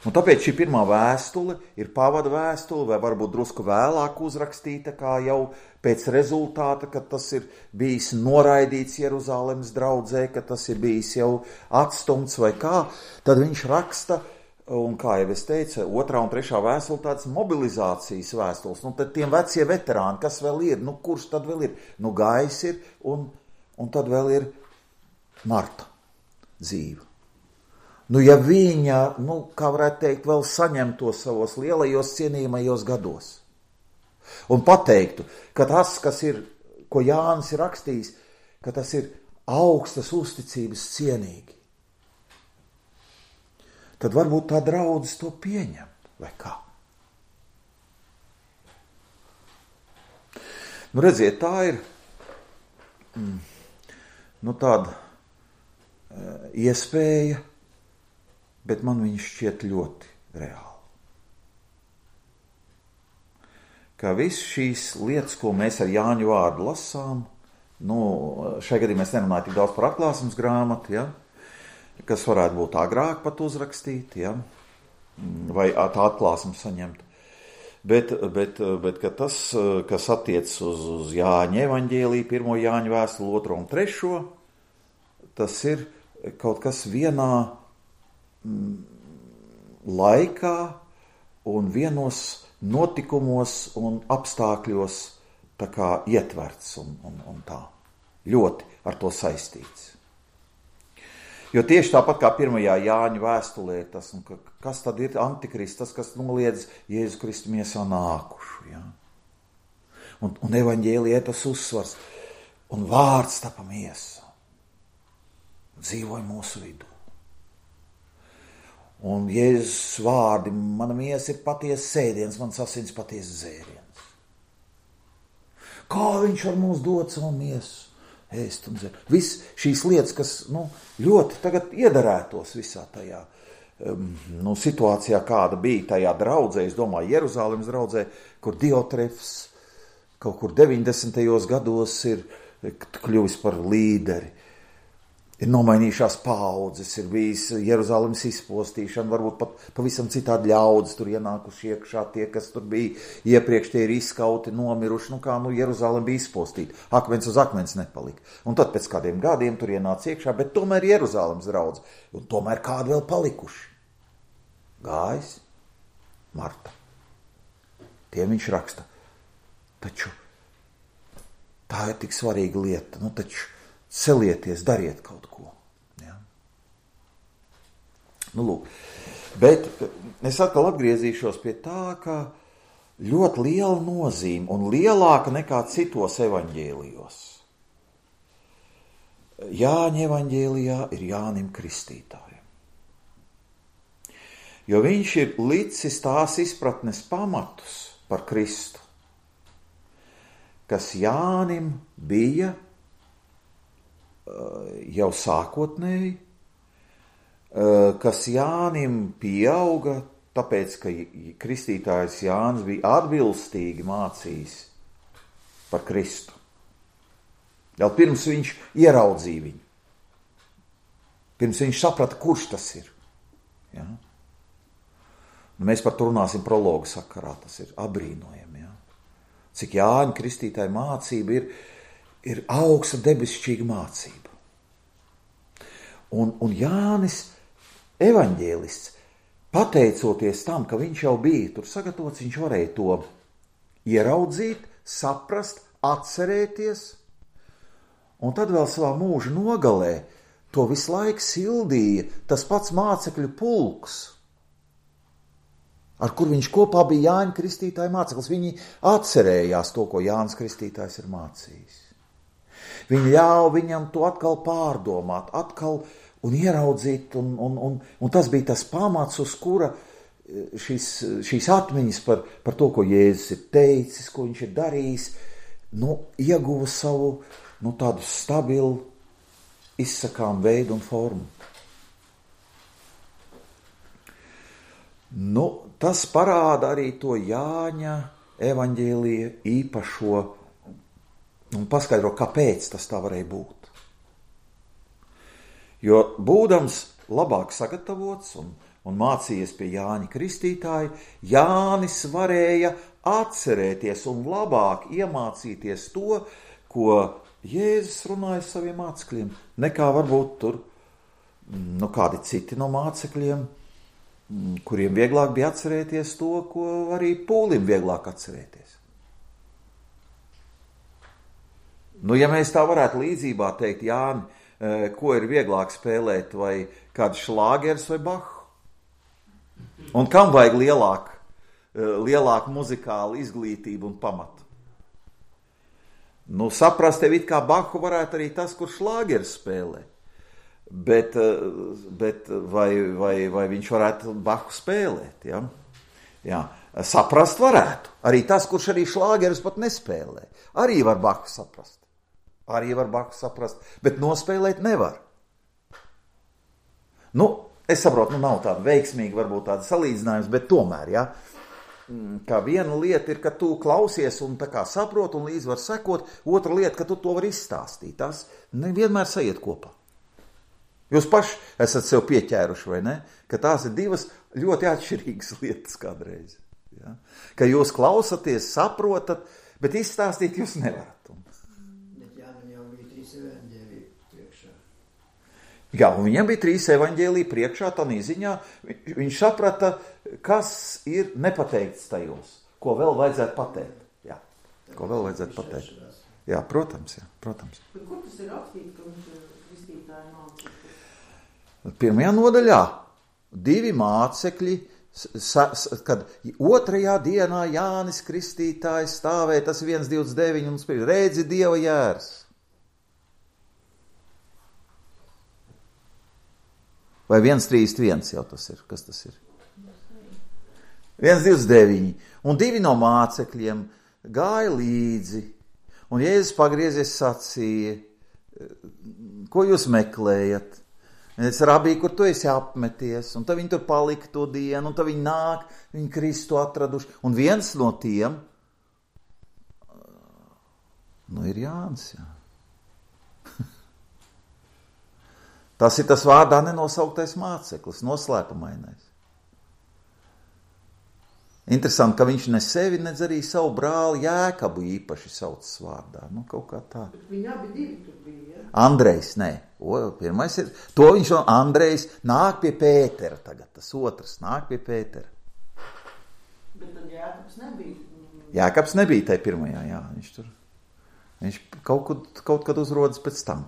Un tāpēc šī pirmā vēstule ir pavada vēstule, vai varbūt drusku vēlāk uzrakstīta, kā jau pēc rezultāta, kad tas ir bijis noraidīts Jeruzalemes draudzē, ka tas ir bijis jau atstumts vai kā, tad viņš raksta, un kā jau es teicu, 2. un 3. vēstule tāds mobilizācijas vēstules. Tad tiem vecie veterāni, kas vēl ir, kurš tad vēl ir? Gājs ir, un tad vēl ir Marta dzīve. Ja viņa, kā varētu teikt, vēl saņemtos savos lielajos cienījamajos gados un pateiktu, ka tas, kas ir, ko Jānis ir rakstījis, ka tas ir augstas uzticības cienīgi, tad varbūt tā draudzes to pieņemt, vai kā? Redziet, tā ir tāda iespēja, bet man viņš šķiet ļoti reāli. Ka viss šīs lietas, ko mēs ar Jāņu vārdu lasām, šai gadījumā mēs nerunājam tik daudz par atklāsmes grāmatu, kas varētu būt agrāk pat uzrakstīt, vai tā atklāsmu saņemt. Bet ka tas, kas attiec uz Jāņa evaņģēliju, 1. Jāņa vēstuli, 2. un 3. Tas ir kaut kas vienā laikā un vienos notikumos un apstākļos tā kā ietverts un tā ļoti ar to saistīts. Jo tieši tāpat kā 1. Jāņa vēstulē, tas, kas tad ir antikrists, tas, kas noliedz Jēzu Kristu miesā nākušu. Ja? Un evaņģēlijā tas uzsvars, un vārds tapa miesa. Dzīvoja mūsu vidū. Un Jēzus vārdi, mana miesa ir patiesa sēdiens, mans asins patiesa dzēriens. Kā viņš var mums dot savu miesu? Ēst un dzert. Viss šīs lietas, kas ļoti tagad iedarētos visā tajā situācijā, kāda bija tajā draudzē, es domāju, Jeruzalemes draudzē, kur Diotrefs kaut kur 90. gados ir kļuvis par līderi. Ir nomainījušās paaudzes, ir bijis Jeruzalemes izpostīšana, varbūt pat pavisam citādi ļaudis tur ienākuši iekšā, tie, kas tur bija iepriekš, tie ir izskauti, nomiruši, Jeruzalem bija izpostīta, akmens uz akmens nepalika. Un tad pēc kādiem gadiem tur ienāca iekšā, bet tomēr Jeruzalemes draudz, un tomēr kādi vēl palikuši. Gājis, Marta. Tiem viņš raksta. Taču tā ir tik svarīga lieta, taču celieties, dariet kaut ko. Ja? Lūk. Bet es atkal atgriezīšos pie tā, ka ļoti liela nozīme un lielāka nekā citos evaņģēlijos. Jāņa evaņģēlijā ir Jānim Kristītājam. Jo viņš ir licis tās izpratnes pamatus par Kristu, kas Jānim bija jau sākotnēji, kas Jānim pieauga, tāpēc, ka kristītājs Jānis bija atbilstīgi mācījis par Kristu. Jau pirms viņš ieraudzīja viņu. Pirms viņš saprata, kurš tas ir. Ja? Mēs par to runāsim prologu sakarā, tas ir abrīnojami. Ja? Cik Jāņa kristītāja mācība ir augsta debesšķīga mācība. Un Jānis evaņģēlists, pateicoties tam, ka viņš jau bija tur sagatavots, viņš varēja to ieraudzīt, saprast, atcerēties, un tad vēl savā mūža nogalē to visu laiku sildīja tas pats mācekļu pulks, ar kur viņš kopā bija Jāņa Kristītāja māceklis. Viņi atcerējās to, ko Jānis Kristītājs ir mācījis. Viņi ļāva viņam to atkal pārdomāt, atkal un ieraudzīt, un tas bija tas pamats, uz kura šīs atmiņas par to, ko Jēzus ir teicis, ko viņš ir darījis, ieguva savu tādu stabilu, izsakām veidu un formu. Tas parāda arī to Jāņa evaņģēlija īpašo un paskaidro, kāpēc tas tā varēja būt. Jo būdams labāk sagatavots un mācījies pie Jāņa Kristītāja, Jānis varēja atcerēties un labāk iemācīties to, ko Jēzus runāja saviem mācekļiem, nekā varbūt tur kādi citi no mācekļiem, kuriem vieglāk bija atcerēties to, ko arī Pūlim vieglāk atcerēties. Ja mēs tā varētu līdzībā teikt, Jāni, ko ir vieglāk spēlēt, vai kāds šlāgers vai Bahu? Un kam vajag lielāku muzikālu izglītību un pamatu? Saprast tev it kā Bahu varētu arī tas, kur šlāgers spēlē. Bet vai viņš varētu Bahu spēlēt? Ja? Jā. Saprast varētu. Arī tas, kurš arī šlāgerus pat nespēlē. Arī var Bahu saprast. Bet nospēlēt nevar. Es saprotu, nav tāda veiksmīga, varbūt tāda salīdzinājums, bet tomēr, ja, kā viena lieta ir, ka tu klausies un tā kā saproti un līdz var sekot, otra lieta, ka tu to var izstāstīt. Tas nevienmēr sajiet kopā. Jūs paši esat sev pieķēruši, vai ne? Ka tās ir divas ļoti atšķirīgas lietas kādreiz. Ja? Ka jūs klausaties, saprotat, bet izstāstīt jūs nevarat. Jā, un viņam bija 3 evaņģēliji priekšā, tādā ziņā viņš saprata, kas ir nepateikts tajos, ko vēl vajadzētu pateikt. Jā, ko vēl vajadzētu pateikt. Jā, protams. Bet kur tas ir rakstīts, ka viņš ir kristītāja mācekļi? 1. nodaļā 2 mācekļi, kad 2. dienā Jānis Kristītājs stāvēja, tas 1.29, un spēj, redzi Dieva jērs. Vai 1.31 jau tas ir? Kas tas ir? 1.29. Un 2 no mācekļiem gāja līdzi, un Jēzus pagriezies sacīja, ko jūs meklējat? Es rabī, kur tu esi apmeties, un tad viņi tur palika to dienu, un tad viņi nāk, viņi Kristu atraduši. Un viens no tiem, ir Jānis, jā. Tas ir tas vārdā nenosauktais māceklis, noslēpumainais. Interesanti, ka viņš ne sevi, nedz arī savu brāli Jēkabu īpaši saucas vārdā. Nu, kaut kā tā. Bet viņi abi divi tur bija, ja? Andrejs, nē. Pirmais ir, to viņš no Andrejs nāk pie Pētera tagad, tas otrs nāk pie Pētera. Bet tad Jēkabs nebija. Jēkabs nebija tai pirmajā, jā. Viņš kaut kad uzrodas pēc tam.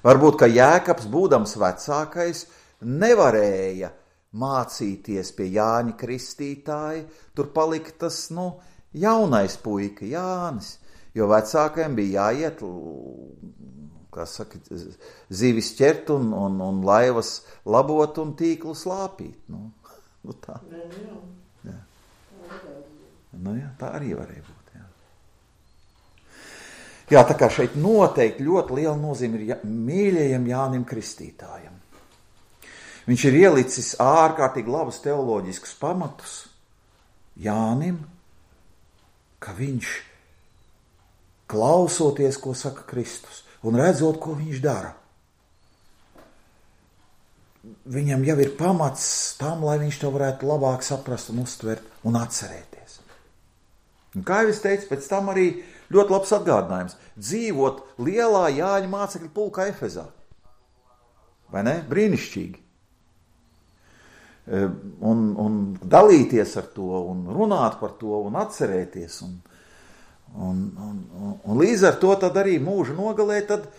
Varbūt, ka Jēkabs, būdams vecākais, nevarēja mācīties pie Jāņa Kristītāja, tur palika tas, jaunais puika Jānis, jo vecākajiem bija jāiet, kā saka, zivis ķert un laivas labot un tīklu slāpīt. Tā. Jā. Jā, tā arī varēja būt, jā. Jā, tā kā šeit noteikti ļoti liela nozīme ir mīļajam Jānim Kristītājam. Viņš ir ielicis ārkārtīgi labus teoloģiskus pamatus Jānim, ka viņš klausoties, ko saka Kristus, un redzot, ko viņš dara. Viņam jau ir pamats tam, lai viņš to varētu labāk saprast un uztvert un atcerēties. Un kā jau es teicu, pēc tam arī ļoti labs atgādinājums dzīvot lielā Jāņa mācekļu pulkā Efezā. Vai ne? Brīnišķīgi. Un dalīties ar to, un runāt par to, un atcerēties. Un līdz ar to tad arī mūža nogalē tad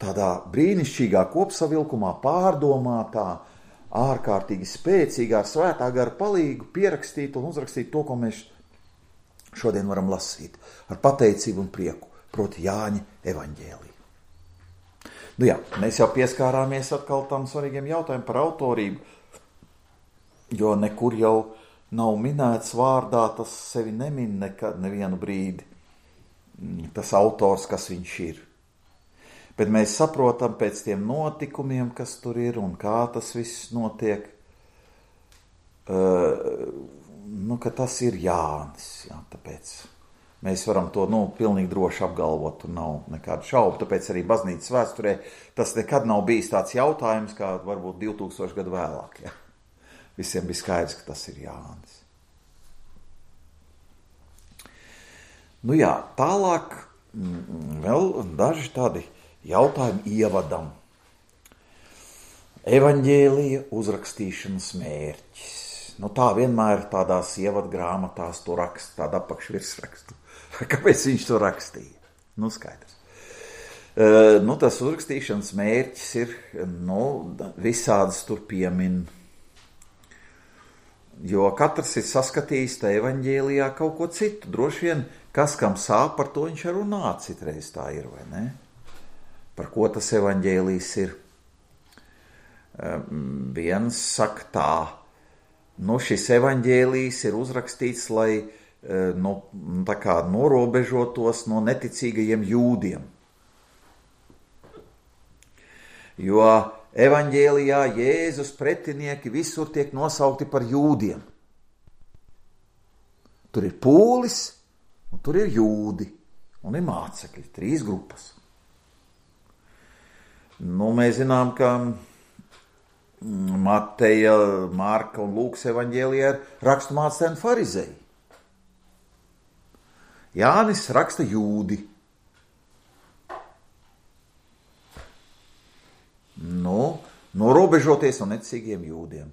tādā brīnišķīgā kopsavilkumā pārdomātā, ārkārtīgi spēcīgā, ar svētā gara palīgu pierakstīt un uzrakstīt to, ko mēs šodien varam lasīt ar pateicību un prieku, proti Jāņa evaņģēliju. Jā, mēs jau pieskārāmies atkal tam svarīgiem jautājumiem par autorību, jo nekur jau nav minēts vārdā, tas sevi nemin nekad nevienu brīdi, tas autors, kas viņš ir. Bet mēs saprotam pēc tiem notikumiem, kas tur ir un kā tas viss notiek, ka tas ir Jānis. Jā, tāpēc mēs varam to pilnīgi droši apgalvot, un nav nekādu šaubu. Tāpēc arī baznīcas vēsturē tas nekad nav bijis tāds jautājums, kā varbūt 2000 gadu vēlāk. Jā. Visiem bija skaidrs, ka tas ir Jānis. Jā, tālāk vēl daži tādi jautājumi ievadam. Evaņģēlija uzrakstīšanas mērķis. Tā vienmēr tādās ievadgrāmatās to raksta, tādu apakšvirsrakstu. Kāpēc viņš to rakstīja? Skaidrs. Tas uzrakstīšanas mērķis ir, visādas tur piemin. Jo katrs ir saskatījis tā evaņģēlijā kaut ko citu. Droši vien, kas kam sāp, par to viņš ar runā citreiz tā ir, vai ne? Par ko tas evaņģēlijs ir? Viens saka tā, šis evaņģēlijs ir uzrakstīts, lai tā kā norobežotos no neticīgajiem jūdiem. Jo evaņģēlijā Jēzus pretinieki visur tiek nosaukti par jūdiem. Tur ir pūlis, un tur ir jūdi, un ir mācekļi, 3 grupas. Mēs zinām, ka Mateja, Marka un Lūkas evaņģēlijā ir raksturmācēji farizēji. Jānis raksta jūdi. Norobežoties no neticīgiem jūdiem.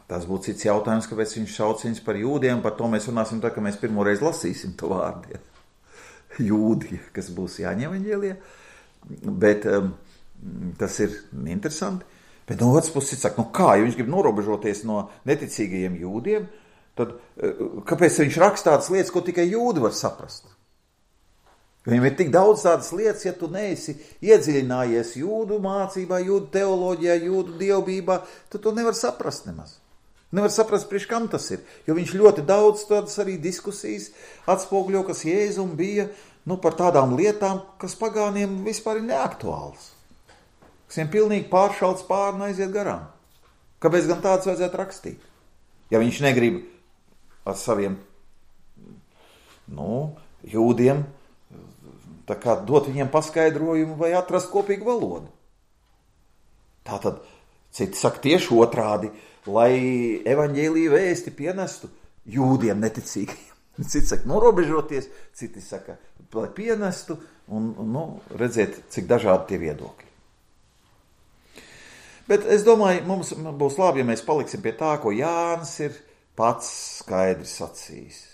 Tas būtu cits jautājums, kāpēc viņš sauc viņus par jūdiem. Par to mēs runāsim tā, ka mēs pirmoreiz lasīsim to vārdu. Jūdi, kas būs Jāņa evaņģēlijā. Bet tas ir interesanti. Bet no otras puses saka, kā, ja viņš grib norobežoties no neticīgajiem jūdiem, tad kāpēc viņš raksta tādas lietas, ko tikai jūdi var saprast? Viņam ir tik daudz tādas lietas, ja tu neesi iedziļinājies jūdu mācībā, jūdu teoloģijā, jūdu dievbībā, tad to nevar saprast nemaz. Nevar saprast, priekš kam tas ir, jo viņš ļoti daudz tādas arī diskusijas atspoguļo, kas Jēzum bija, par tādām lietām, kas pagāniem vispār ir neaktuāls. Kas viņam pilnīgi pāršalts pāri un aiziet garām. Kāpēc gan tāds vajadzētu rakstīt? Ja viņš negrib ar saviem, jūdiem tā kā dot viņiem paskaidrojumu vai atrast kopīgu valodu. Tātad, citi saka tieši otrādi, lai evaņģēlija vēsti pienestu jūdiem neticīgiem. Citi saka norobežoties, citi saka, lai pienestu, un redziet, cik dažādi tie viedokļi. Bet es domāju, mums būs labi, ja mēs paliksim pie tā, ko Jānis ir pats skaidri sacījis.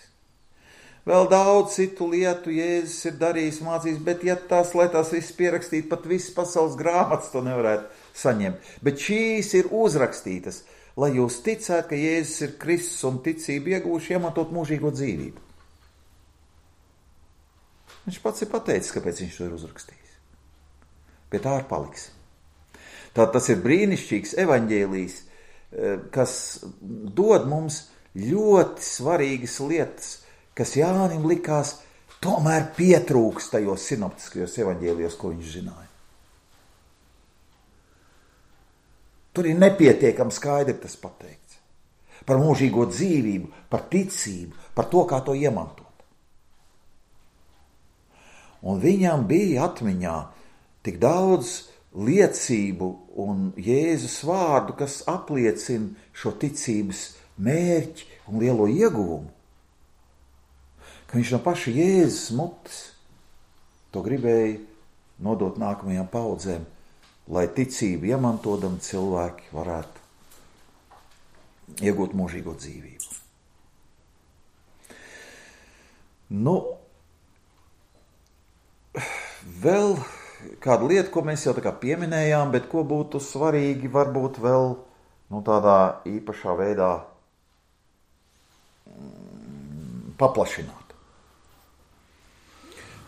Vēl daudz citu lietu Jēzus ir darījis, mācījis, bet ja lai tās viss pierakstītu, pat visas pasaules grāmatas to nevarētu saņemt. Bet šīs ir uzrakstītas, lai jūs ticētu, ka Jēzus ir Kristus un ticību iegūši iematot mūžīgo dzīvību. Viņš pats ir pateicis, kāpēc viņš to ir uzrakstījis. Pie tā arī paliks. Tātad tas ir brīnišķīgs evaņģēlijs, kas dod mums ļoti svarīgas lietas, kas Jānim likās tomēr pietrūks tajos sinoptiskajos evaņģēlijos, ko viņš zināja. Tur ir nepietiekami skaidri tas pateikts. Par mūžīgo dzīvību, par ticību, par to, kā to iemantot. Un viņam bija atmiņā tik daudz liecību un Jēzus vārdu, kas apliecina šo ticības mērķi un lielo ieguvumu, ka viņš no paša Jēzus mutes to gribēja nodot nākamajām paudzēm, lai ticību iemantodam cilvēki varētu iegūt mūžīgo dzīvību. Vēl kāda lieta, ko mēs jau tā kā pieminējām, bet ko būtu svarīgi varbūt vēl tādā īpašā veidā paplašināt.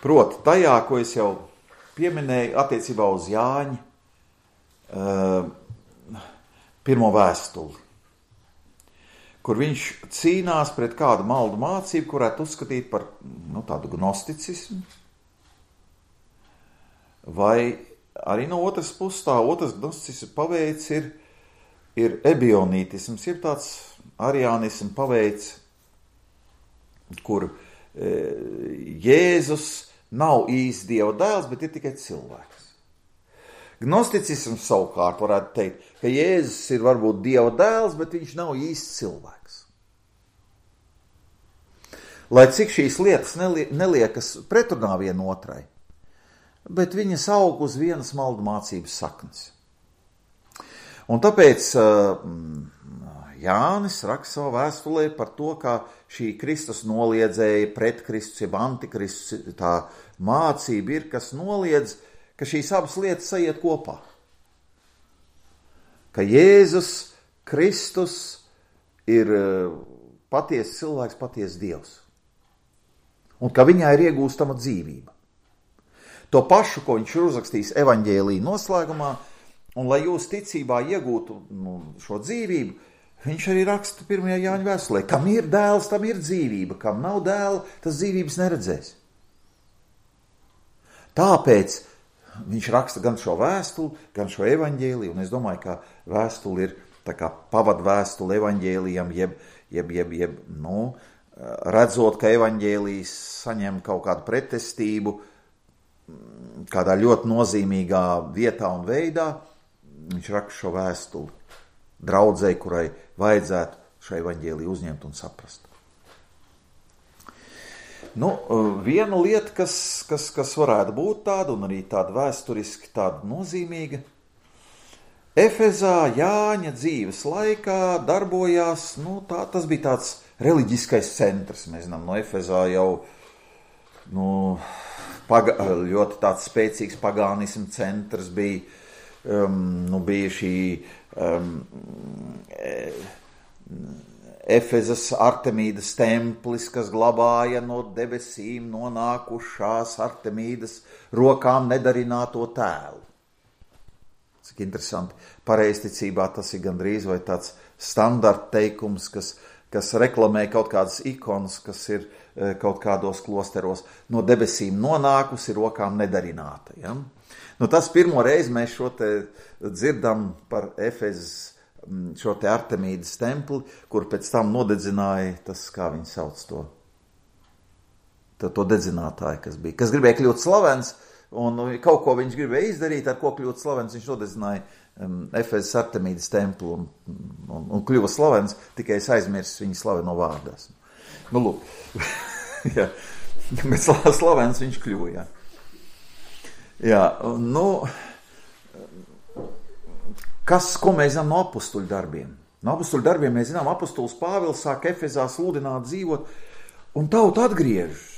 Proti, tajā, ko es jau pieminēju attiecībā uz Jāņa pirmo vēstuli, kur viņš cīnās pret kādu maldu mācību, kurētu uzskatīt par tādu gnosticismu, vai arī no otras puses tā otrs gnosticismu paveids ir ebionītisms, ir tāds ariānismu paveids, kur Jēzus nav īsti Dieva dēls, bet ir tikai cilvēks. Gnosticisms savukārt varētu teikt, ka Jēzus ir varbūt Dieva dēls, bet viņš nav īsti cilvēks. Lai cik šīs lietas neliekas pretrunā vienotrai, bet viņas aug uz vienas maldu mācības saknes. Un tāpēc Jānis raksta savā vēstulē par to, kā šī Kristus noliedzēja pret Kristus, jeb antikristus, tā mācība ir, kas noliedz, ka šīs abas lietas aiziet kopā. Ka Jēzus Kristus ir patiesa cilvēks, patiesa Dievs. Un ka viņā ir iegūstama dzīvība. To pašu, ko viņš ir uzrakstījis evaņģēlija noslēgumā, un lai jūs ticībā iegūtu šo dzīvību, viņš arī raksta 1. Jāņa vēstulē, kam ir dēls, tam ir dzīvība, kam nav dēla, tas dzīvības neredzēs. Tāpēc viņš raksta gan šo vēstuli, gan šo evaņģēliju, un es domāju, ka vēstuli ir tā kā pavadvēstuli evaņģēlijam, jeb redzot, ka evaņģēlijs saņem kaut kādu pretestību, kādā ļoti nozīmīgā vietā un veidā, viņš raksta šo vēstuli draudzei, kurai vajadzētu šo evaņģēliju uzņemt un saprast. Viena lieta, kas varētu būt tāda, un arī tāda vēsturiski tāda nozīmīga, Efezā Jāņa dzīves laikā darbojās, tas bija tāds reliģiskais centrs. Mēs zinām, no Efezā jau ļoti tāds spēcīgs pagānismu centrs bija, bija šī Efezas Artemīdas templis, kas glabāja no debesīm nonākušās Artemīdas rokām nedarināto tēlu. Cik interesanti. Pareizticībā tas ir gandrīz vai tāds standarta teikums, kas reklamē kaut kādas ikonas, kas ir kaut kādos klosteros no debesīm nonākusi, rokām nedarināta. Ja? Tas pirmo reizi mēs šo te dzirdam par Efezas šo te Artemīdas templi, kur pēc tam nodedzināja tas, kā viņi sauc to, to dedzinātāju, kas gribēja kļūt slavens, un kaut ko viņš gribēja izdarīt, ar ko kļūt slavens, viņš nodedzināja Efezas Artemīdas templu un kļuva slavens, tikai es aizmirsu viņa slaveno vārdās. Nu, lūk, jā, bet slavens viņš kļuva, jā. Jā, nu, ko mēs zinām no apustuļu darbiem? No apustuļu darbiem mēs zinām, apustulis Pāvils sāk Efezā sludināt, dzīvot, un tauta atgriežas.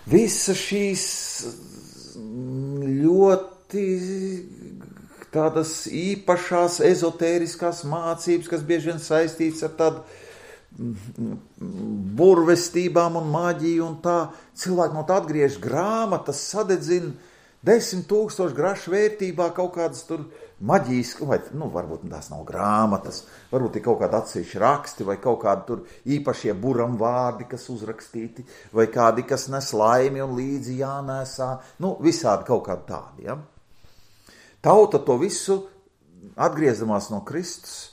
Visas šīs ļoti tādas īpašās ezotēriskās mācības, kas bieži vien saistīts ar tādu burvestībām un maģiju un tā, cilvēki no tā atgriež grāmatas, sadedzina 10 000 grašu vērtībā kaut kādas tur maģijas, vai, varbūt tās nav grāmatas, varbūt ir kaut kādi atsevišķi raksti, vai kaut kādi tur īpašie buram vārdi, kas uzrakstīti, vai kādi, kas nes laimi un līdzi jānēsā, visādi kaut kādi tādi, ja. Tauta to visu, atgriezamās no Kristus,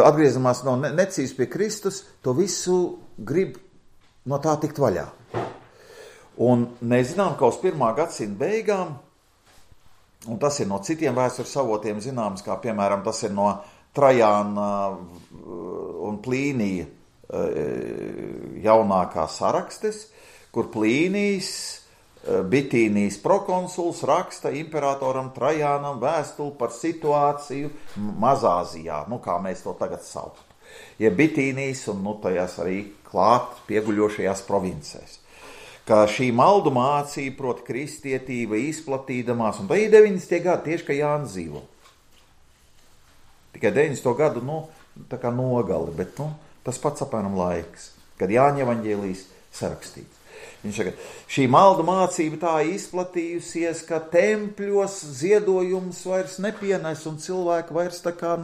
atgriezamās no necības pie Kristus, to visu grib no tā tikt vaļā. Un mēs zinām, ka uz 1. gadsimta beigām, un tas ir no citiem vēstures avotiem zināms, kā piemēram tas ir no Trajāna un Plīnija jaunākā sarakstes, kur Plīnijs, Bitīnijas prokonsuls raksta imperatoram Trajānam vēstuli par situāciju Mazāzijā, kā mēs to tagad saucam. Ja Bitīnijas un tajās arī klāt pieguļošajās provincēs. Ka šī maldu mācība, proti kristietība, izplatīdamās, un tā ir 90. gadi, tieši, ka Jānis dzīvo. Tikai 90. gadu, tā kā nogali, bet, tas pats apmēram laiks, kad Jāņa evaņģēlijs sarakstīts. Viņš saka, šī maldu mācība tā izplatījusies, ka tempļos ziedojums vairs nepienes, un cilvēki vairs tā kā,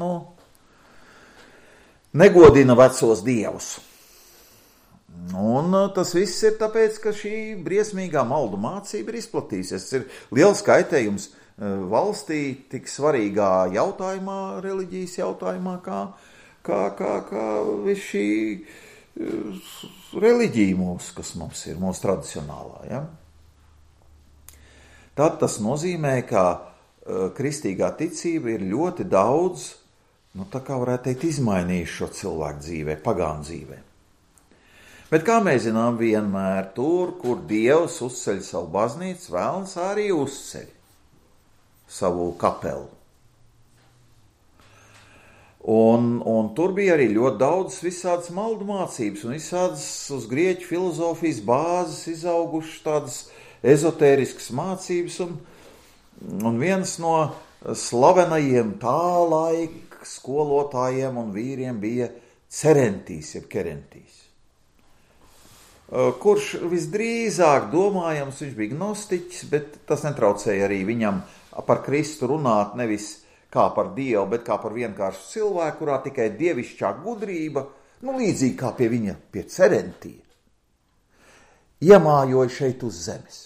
negodina vecos dievus. Un tas viss ir tāpēc, ka šī briesmīgā maldu mācība ir izplatījusies. Tas ir liels kaitējums valstī tik svarīgā jautājumā, reliģijas jautājumā, kā viss šī reliģija mūsu, kas mums ir, mūsu tradicionālā. Ja? Tad tas nozīmē, ka kristīgā ticība ir ļoti daudz, tā kā varētu teikt, izmainījuši šo cilvēku dzīvē, pagānu dzīvē. Bet kā mēs zinām, vienmēr tur, kur Dievs uzceļ savu baznīcu, vēlns arī uzceļ savu kapelu. Un tur bija arī ļoti daudz visādas maldu mācības un visādas uz grieķu filozofijas bāzes izaugušas tādas ezotēriskas mācības. Un viens no slavenajiem tā laika skolotājiem un vīriem bija Cerentīs, jeb Kerentīs. Kurš visdrīzāk domājams, viņš bija gnostiķis, bet tas netraucēja arī viņam par Kristu runāt nevis kā par Dievu, bet kā par vienkāršu cilvēku, kurā tikai dievišķā gudrība, līdzīgi kā pie viņa, pie Cerentija, iemājoja šeit uz zemes.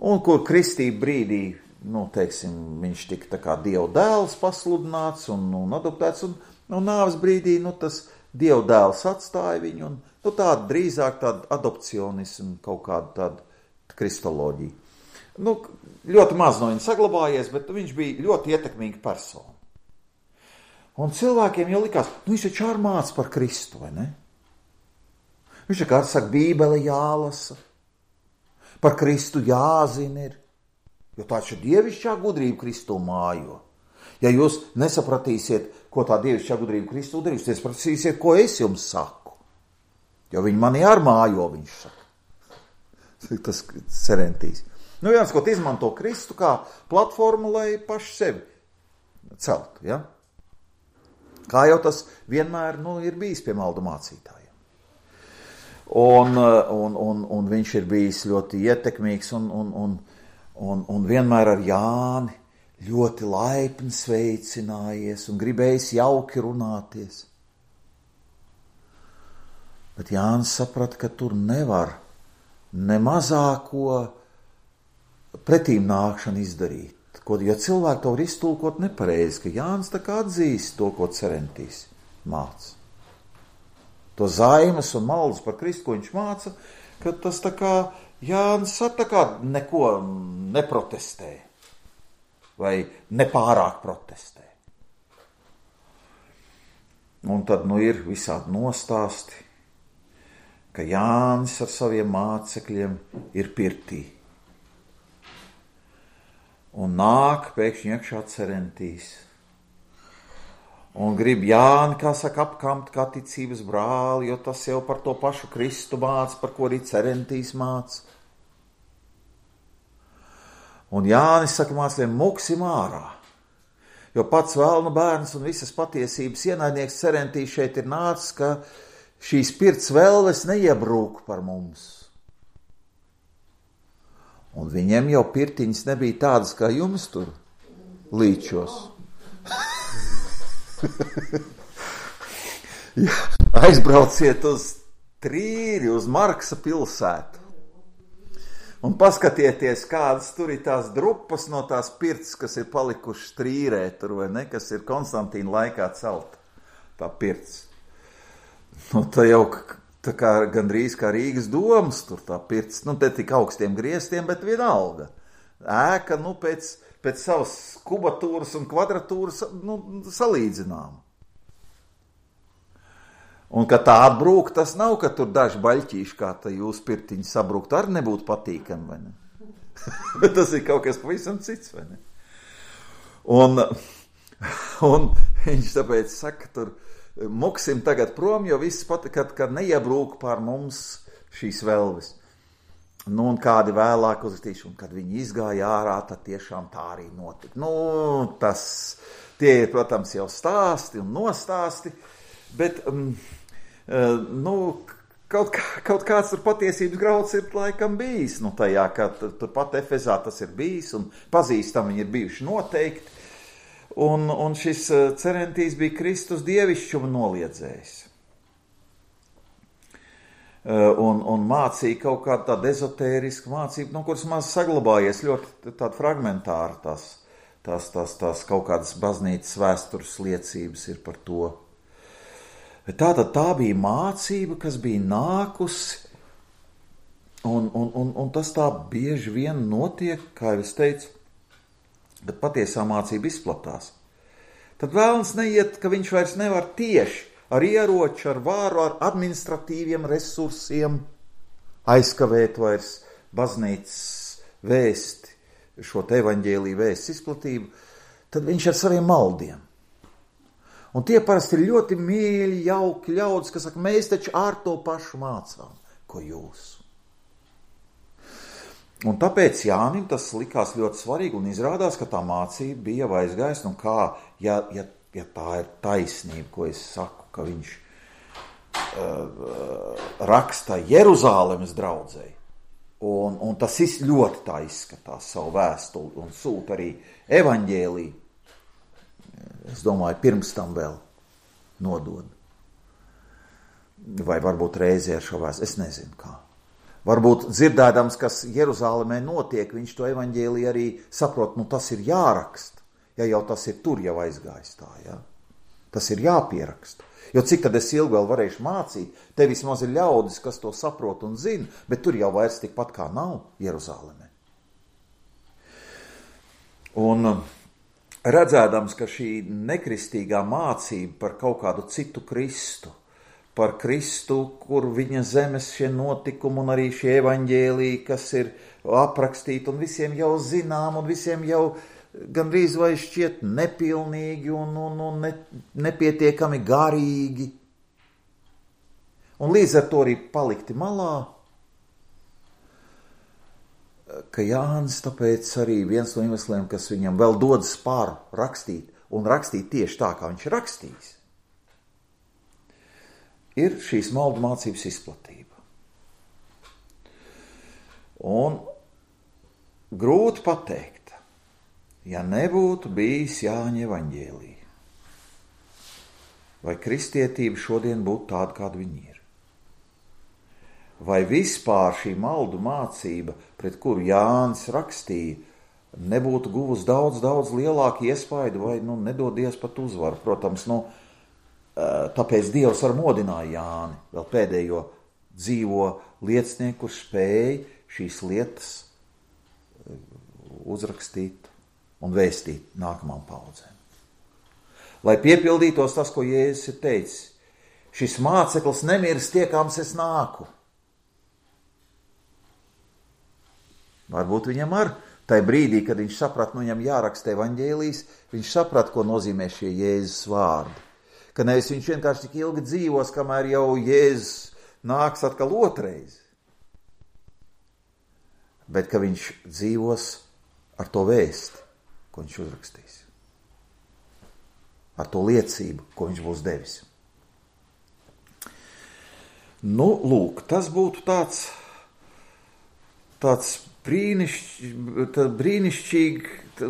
Un kur kristība brīdī, viņš tika tā kā Dieva dēls pasludināts un adoptēts, un nāves brīdī, tas Dieva dēls atstāja viņu, un tāda drīzāk tāda adopcionismu, kaut kāda tāda kristoloģija. Ļoti maz no viņa saglabājies, bet viņš bija ļoti ietekmīga persona. Un cilvēkiem jau likās, viņš taču ārmāc par Kristu, vai ne? Viņš kā saka, Bībele jālasa, par Kristu jāzina ir, jo taču dievišķā gudrība Kristu mājo. Ja jūs nesapratīsiet, ko tā dievišķā gudrība Kristu darīs, tad sapratīsiet, ko es jums saku. Jo viņi mani ārmājo, viņš saka. Tas Cerentīs. Viens, ko izmanto Kristu kā platformu, lai paši sevi celtu, ja? Kā jau tas vienmēr, ir bijis pie maldu mācītājiem. Un viņš ir bijis ļoti ietekmīgs un vienmēr ar Jāni ļoti laipni sveicinājies un gribējis jauki runāties. Bet Jānis saprata, ka tur nevar ne mazāko pretīm nākšanu izdarīt, jo cilvēki to var iztulkot nepareizi, ka Jānis tā kā atzīst to, ko Cerentīs māca. to zaimas un maldas par Kristu, ko viņš māca, ka tas tā kā Jānis tā kā neko neprotestē vai nepārāk protestē. Un tad ir visādi nostāsti, ka Jānis ar saviem mācekļiem ir pirtī. Un nāk pēkšņi iekšā cerentīs. Un grib Jāni, kā saka, apkamt kā ticības brāli, jo tas jau par to pašu Kristu māca, par ko arī cerentīs māca. Un Jānis saka mācekļiem, muksim ārā, jo pats vēlnu bērns un visas patiesības ienaidnieks cerentīs šeit ir nācis, ka šīs pirts vēlves neiebrūk par mums. Un viņiem jau pirtiņas nebija tādas, kā jums tur līčos. Ja, aizbrauciet uz Trīri, uz Marksa pilsētu. Un paskatieties, kādas tur ir tās drupas no tās pirts, kas ir palikušas Trīrē, tur vai ne, kas ir Konstantīna laikā celta. Tā pirts. Nu, tā jau tā kā gandrīz kā Rīgas domas tur tā pirts. Nu, te tik augstiem griestiem, bet vienalga. Ēka, pēc savas kubatūras un kvadratūras, salīdzinām. Un, ka tā atbrūk, tas nav, ka tur daži baļķīši, kā tā jūs pirtiņi sabrūkt, arī nebūtu patīkami, vai ne? Bet tas ir kaut kas pavisam cits, vai ne? Un viņš tāpēc saka, tur muksim tagad prom, jo viss kad neiebrūk pār mums šīs velves. Nu, un kādi vēlāk uzrakstīšu, un kad viņi izgāja ārā, tad tiešām tā arī notika. Nu, tie ir, protams, jau stāsti un nostāsti, bet, kaut kāds tur patiesības grauds ir laikam bijis. Nu, tajā, ka turpat Efezā tas ir bijis, un pazīstami viņi ir bijuši noteikti. Un šis cerentīs bija Kristus dievišķuma noliedzējs. Un mācīja kaut kādu tādu ezotērisku mācību, no kuras maz saglabājies ļoti tāda fragmentāra, tās kaut kādas baznīcas vēstures liecības ir par to. Tātad tā bija mācība, kas bija nākusi, un tas tā bieži vien notiek, kā jau es teicu, bet patiesā mācība izplatās. Tad vēlns neiet, ka viņš vairs nevar tieši ar ieroču, ar vāru, ar administratīviem resursiem aizkavēt vairs baznīcas vēsti, šo te evaņģēliju vēsts izplatību, tad viņš ar saviem maldiem. Un tie parasti ir ļoti mīļi, jauki ļaudis, kas saka, mēs taču ar to pašu mācām, ko jūs. Un tāpēc Jānim tas likās ļoti svarīgi un izrādās, ka tā mācība bija jau aizgājusi, un kā, ja tā ir taisnība, ko es saku, ka viņš raksta Jeruzālemes draudzei, un tas ļoti tā izskatās savu vēstuli un sūta arī evaņģēliju, es domāju, pirms tam vēl nodod. Vai varbūt reizē ar šo vēstuli, es nezinu kā. Varbūt dzirdēdams, kas Jeruzālemē notiek, viņš to evaņģēliju arī saprot, tas ir jāraksta, ja jau tas ir tur jau aizgājis tā, ja? Tas ir jāpieraksta. Jo cik tad es ilgi vēl varēšu mācīt, te vismaz ir ļaudis, kas to saprot un zina, bet tur jau vairs tikpat kā nav Jeruzālemē. Un redzēdams, ka šī nekristīgā mācība par kaut kādu citu Kristu, par Kristu, kur viņa zemes šie notikumi un arī šie evaņģēliji, kas ir aprakstīti un visiem jau zinām un visiem jau gandrīz vai šķiet nepilnīgi un nepietiekami garīgi. Un līdz ar to arī palikti malā, ka Jānis tāpēc arī viens no iemesliem, kas viņam vēl dodas pār rakstīt un rakstīt tieši tā, kā viņš ir rakstījis, ir šīs maldu mācības izplatība. Un grūti pateikt, ja nebūtu bijis Jāņa evaņģēlija, vai kristietība šodien būtu tāda, kāda viņa ir. Vai vispār šī maldu mācība, pret kuru Jānis rakstīja, nebūtu guvusi daudz lielāku iespaidu vai, nedodies pat uzvaru. Protams, tāpēc Dievs ar modināja Jāni, vēl pēdējo dzīvo liecinieku, kurš spēja šīs lietas uzrakstīt un vēstīt nākamām paudzēm. Lai piepildītos tas, ko Jēzus ir teicis, šis māceklis nemirst tiekams es nāku. Varbūt viņam tai brīdī, kad viņš saprat, viņam jāraksta evaņģēlijs, viņš saprat, ko nozīmē šie Jēzus vārdi. Ka nevis viņš vienkārši tik ilgi dzīvos, kamēr jau Jēzus nāks atkal otrais. Bet ka viņš dzīvos ar to vēsti, ko viņš uzrakstīs. Ar to liecību, ko viņš būs devis. Nu, lūk, tas būtu tāds brīnišķīgi,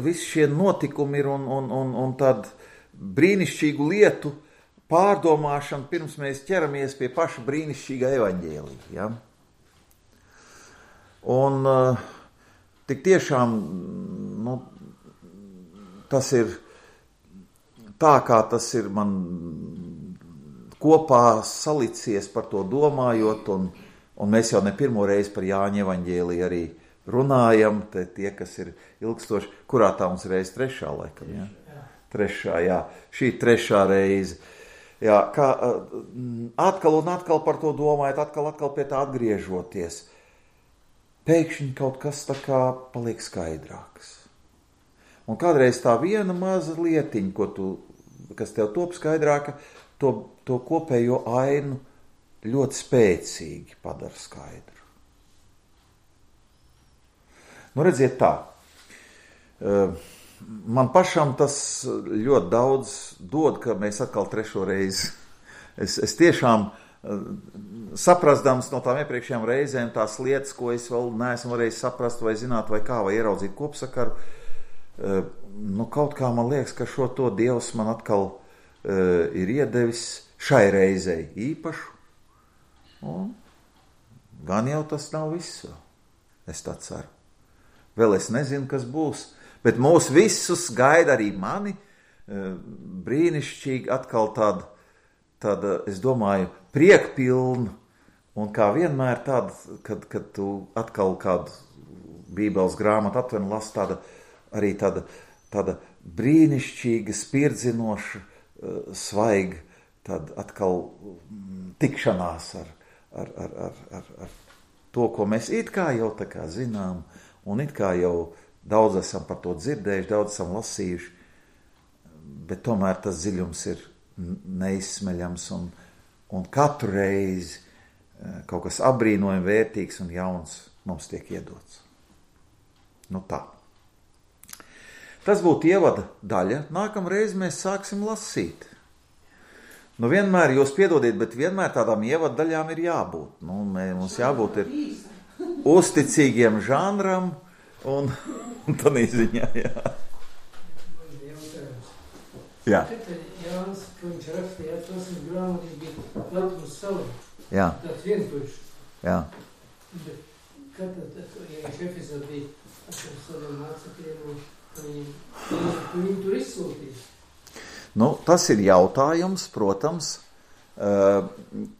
visi šie notikumi ir un tad brīnišķīgu lietu pārdomāšana, pirms mēs ķeramies pie paša brīnišķīgā evaņģēlija. Ja? Un tik tiešām, tas ir tā, kā tas ir man kopā salicies par to domājot, un mēs jau ne pirmo reizi par Jāņa evaņģēliju arī runājam, tie, kas ir ilgstoši, kurā tā mums reize trešā laikam, ja? Trešā, jā, šī trešā reize. Jā, kā atkal un atkal par to domājot, atkal pie tā atgriežoties, pēkšņi kaut kas tā kā paliek skaidrāks. Un kādreiz tā viena maza lietiņa, kas tev top skaidrāka, to kopējo ainu ļoti spēcīgi padara skaidru. Nu, redziet tā, man pašam tas ļoti daudz dod, ka mēs atkal trešo reizi. Es tiešām saprastams no tām iepriekšējām reizēm tās lietas, ko es vēl neesmu varējis saprast vai zināt vai kā, vai ieraudzīt kopsakaru, kaut kā man liekas, ka šo to Dievs man atkal ir iedevis šai reizei īpašu. Un gan jau tas nav viss vēl. Es tā ceru. Vēl es nezinu, kas būs, bet mūs visus gaida arī mani brīnišķīgi atkal tāda, es domāju, priekpilna, un kā vienmēr tāda, kad tu atkal kādu Bībeles grāmatu aptveni lasi, arī tāda brīnišķīga, spirdzinoša, svaiga, tāda atkal tikšanās ar to, ko mēs it kā jau tā kā zinām, un it kā jau daudz esam par to dzirdējuši, daudz esam lasījuši, bet tomēr tas dziļums ir neizsmeļams, un katru reizi kaut kas apbrīnojami vērtīgs un jauns mums tiek iedots. Nu tā. Tas būtu ievada daļa. Nākamreiz mēs sāksim lasīt. Nu vienmēr, jūs piedodiet, bet vienmēr tādām ievada daļām ir jābūt. Mums jābūt ir uzticīgiem žanram un tādā ziņā, jā. Jā. Jānis, ko viņš rakstīja, atlasīt grāmatī, bija Latvijas savu. Jā. Tāds vientuļš. Jā. Bet kad viņš Efesā bija ar saviem mācekļiem, viņi tur izsūtīs. Tas ir jautājums, protams,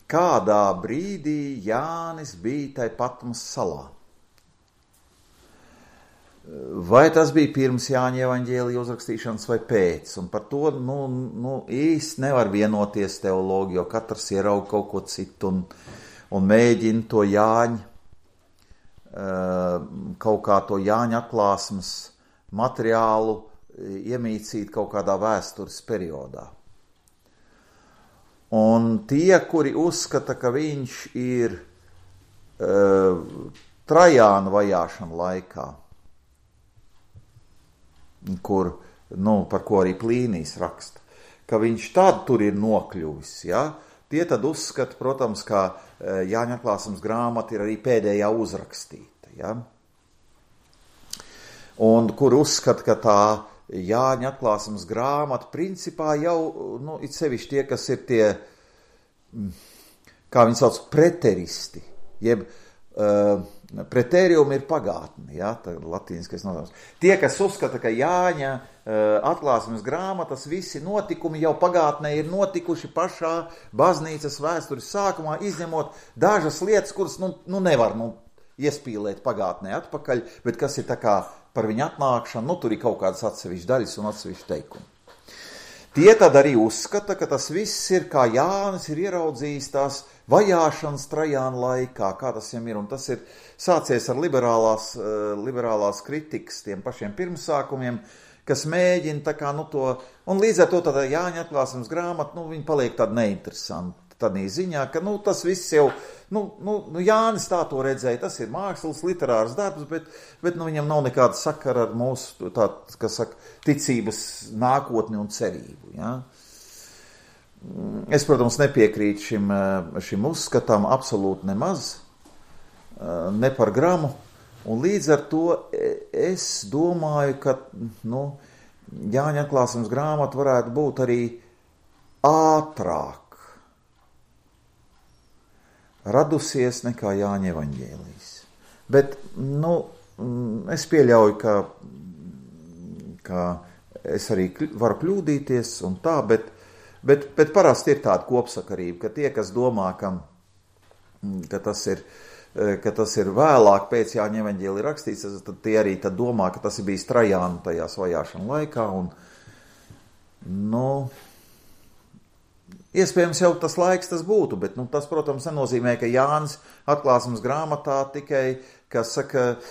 kādā brīdī Jānis bija tai Patmas salā. Vai tas bija pirms Jāņa evaņģēlija uzrakstīšanas vai pēc, un par to īsti nevar vienoties teologi, jo katrs ieraug kaut ko citu un mēģina to Jāņa, kaut kā to Jāņa atklāsmes materiālu iemīcīt kaut kādā vēstures periodā. Un tie, kuri uzskata, ka viņš ir Trajāna vajāšana laikā, par ko arī Plīnijs raksta, ka viņš tad tur ir nokļuvis, ja? Tie tad uzskata, protams, ka Jāņa atklāsmes grāmata ir arī pēdējā uzrakstīta, ja? Un kur uzskata, ka tā Jāņa atklāsmes grāmata principā jau, it sevišķi tie, kas ir tie, kā viņi sauc, preteristi, jeb preterium ir pagātne, ja, tā latīniskais nosaukums. Tie, kas uzskata, ka Jāņa atklāsmes grāmatas, visi notikumi jau pagātnē ir notikuši pašā baznīcas vēstures sākumā, izņemot dažas lietas, kuras nevar iespīlēt pagātnē atpakaļ, bet kas ir tā kā par viņu atnākšanu, tur ir kaut kādas atsevišķas daļas un atsevišķi teikumi. Tie tad arī uzskata, ka tas viss ir, kā Jānis ir ieraudzījis tās vajāšanas Trajāna laikā, kā tas viņam ir, un tas ir sācies ar liberālās kritikas tiem pašiem pirmsākumiem, kas mēģina tā kā, to, un līdz ar to tādā Jāņa atklāsmes grāmata, viņa paliek tāda neinteresanta, tādā ziņā, ka, tas viss jau, Jānis tā to redzēja, tas ir mākslas, literārs darbs, bet viņam nav nekāda sakara ar mūsu, ticības nākotni un cerību, ja. Es, protams, nepiekrītu šim uzskatām absolūti nemaz, ne par gramu, un līdz ar to es domāju, ka, Jāņa atklāsmes grāmata varētu būt arī ātrāk radusies nekā Jāņa evaņģēlijs. Bet, es pieļauju, ka es arī varu kļūdīties un tā, bet parasti ir tāda kopsakarība, ka tie, kas domā, ka tas ir vēlāk pēc Jāņa evaņģēlija rakstīts, tad tie arī tad domā, ka tas ir bijis Trajāna tajās vajāšana laikā, un, iespējams jau tas laiks tas būtu, bet tas, protams, nenozīmē, ka Jānis atklāsmes grāmatā tikai, kas saka,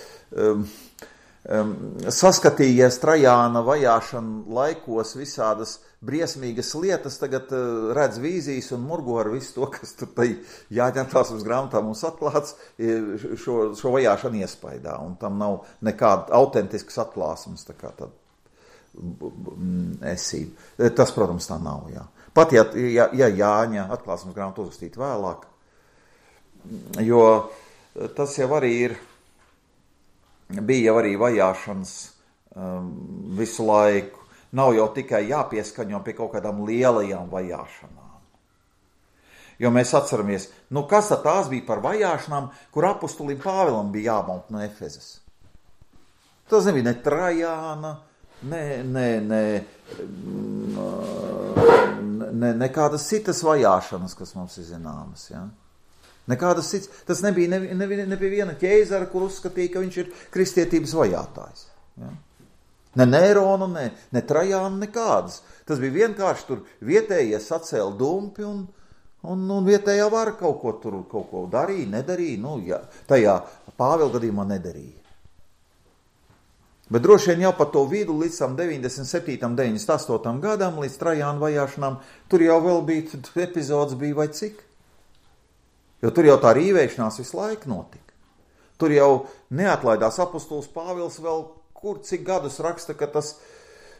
saskatījies Trajāna vajāšana laikos visādas briesmīgas lietas, tagad redz vīzijas un murgo ar visu to, kas tur tai Jāņa atklāsmes grāmatā mums atklāts, šo vajāšanu iespaidā, un tam nav nekāda autentiskas atklāsmes, tā kā tad esība. Tas, protams, tā nav, jā. Pat ja Jāņa atklāsmes grāmatu uzrakstīt vēlāk, jo tas jau arī bija jau arī vajāšanas visu laiku. Nav jau tikai jāpieskaņo pie kaut kādām lielajām vajāšanām. Jo mēs atceramies, kas tad tās bija par vajāšanām, kur apustulim Pāvilam bija jāmalt no Efezas. Tas nebija ne Trajāna, nekādas citas vajāšanas, kas mums ir zināmas, ja? Nekādas citas, tas nebija ne viena ķēzara, kur uzskatīja, ka viņš ir kristietības vajātājs, ja? Ne Nērona, ne Trajāna, nekādas. Tas bija vienkārši tur vietējie sacēla dumpi un vietējā vara kaut ko darīja, nedarīja, tajā Pāvila gadījumā nedarīja. Bet droši vien jau pa to vidu līdz 97. 98. gadam, līdz Trajāna vajāšanām, tur jau vēl bija, epizodes bija vai cik. Jo tur jau tā rīvēšanās visu laiku notika. Tur jau neatlaidās apustulis Pāvils vēl cik gadus raksta, ka tas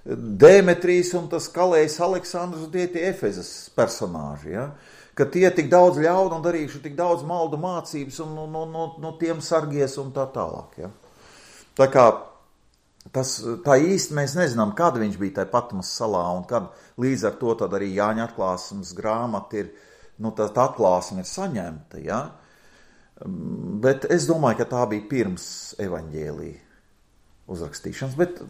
Demetrijs un tas kalējs Aleksandrs tie Efezas personāži, ja? Ka tie tik daudz ļaunu un darījuši tik daudz maldu mācības un no tiem sargies un tā tālāk. Ja? Tā kā tā īsti mēs nezinām, kad viņš bija tajā Patmas salā un kad līdz ar to tad arī Jāņa atklāsmes grāmata ir, tā atklāsme ir saņemta, ja? Bet es domāju, ka tā bija pirms evaņģēlija uzrakstīšanas, bet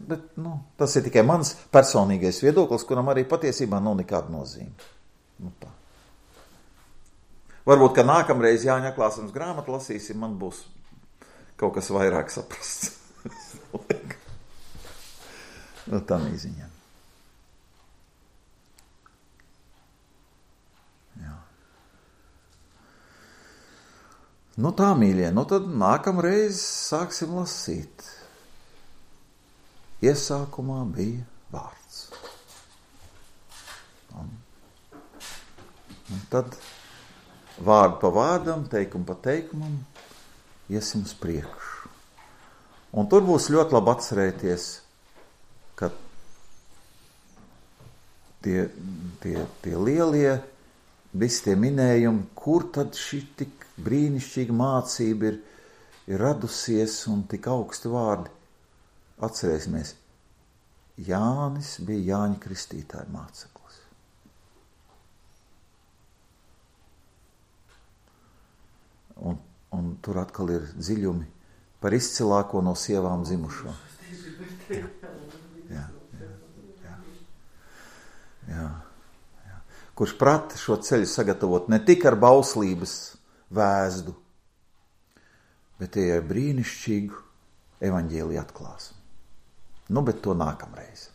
tas ir tikai mans personīgais viedoklis, kuram arī patiesībā nav nekāda nozīme. Tā. Varbūt, ka nākamreiz Jāņa atklāsmes grāmatu lasīsim, man būs kaut kas vairāk saprasts. Tā mīziņā. Jā. Tā, mīļie, tad nākamreiz sāksim lasīt. Iesākumā bija vārds. Un tad vārdu pa vārdam, teikumu pa teikumam, iesim uz priekšu. Un tur būs ļoti labi atcerēties, ka tie lielie, visi tie minējumi, kur tad šī tik brīnišķīga mācība ir radusies un tik augsti vārdi. Atcerēsimies, Jānis bija Jāņa Kristītāja māceklis. Un tur atkal ir dziļumi par izcilāko no sievām dzimušo. Jā. kurš prata šo ceļu sagatavot ne tik ar bauslības vēzdu, bet tie ir brīnišķīgu evaņģēliju atklāsmi. Nu, bet to nākamreiz.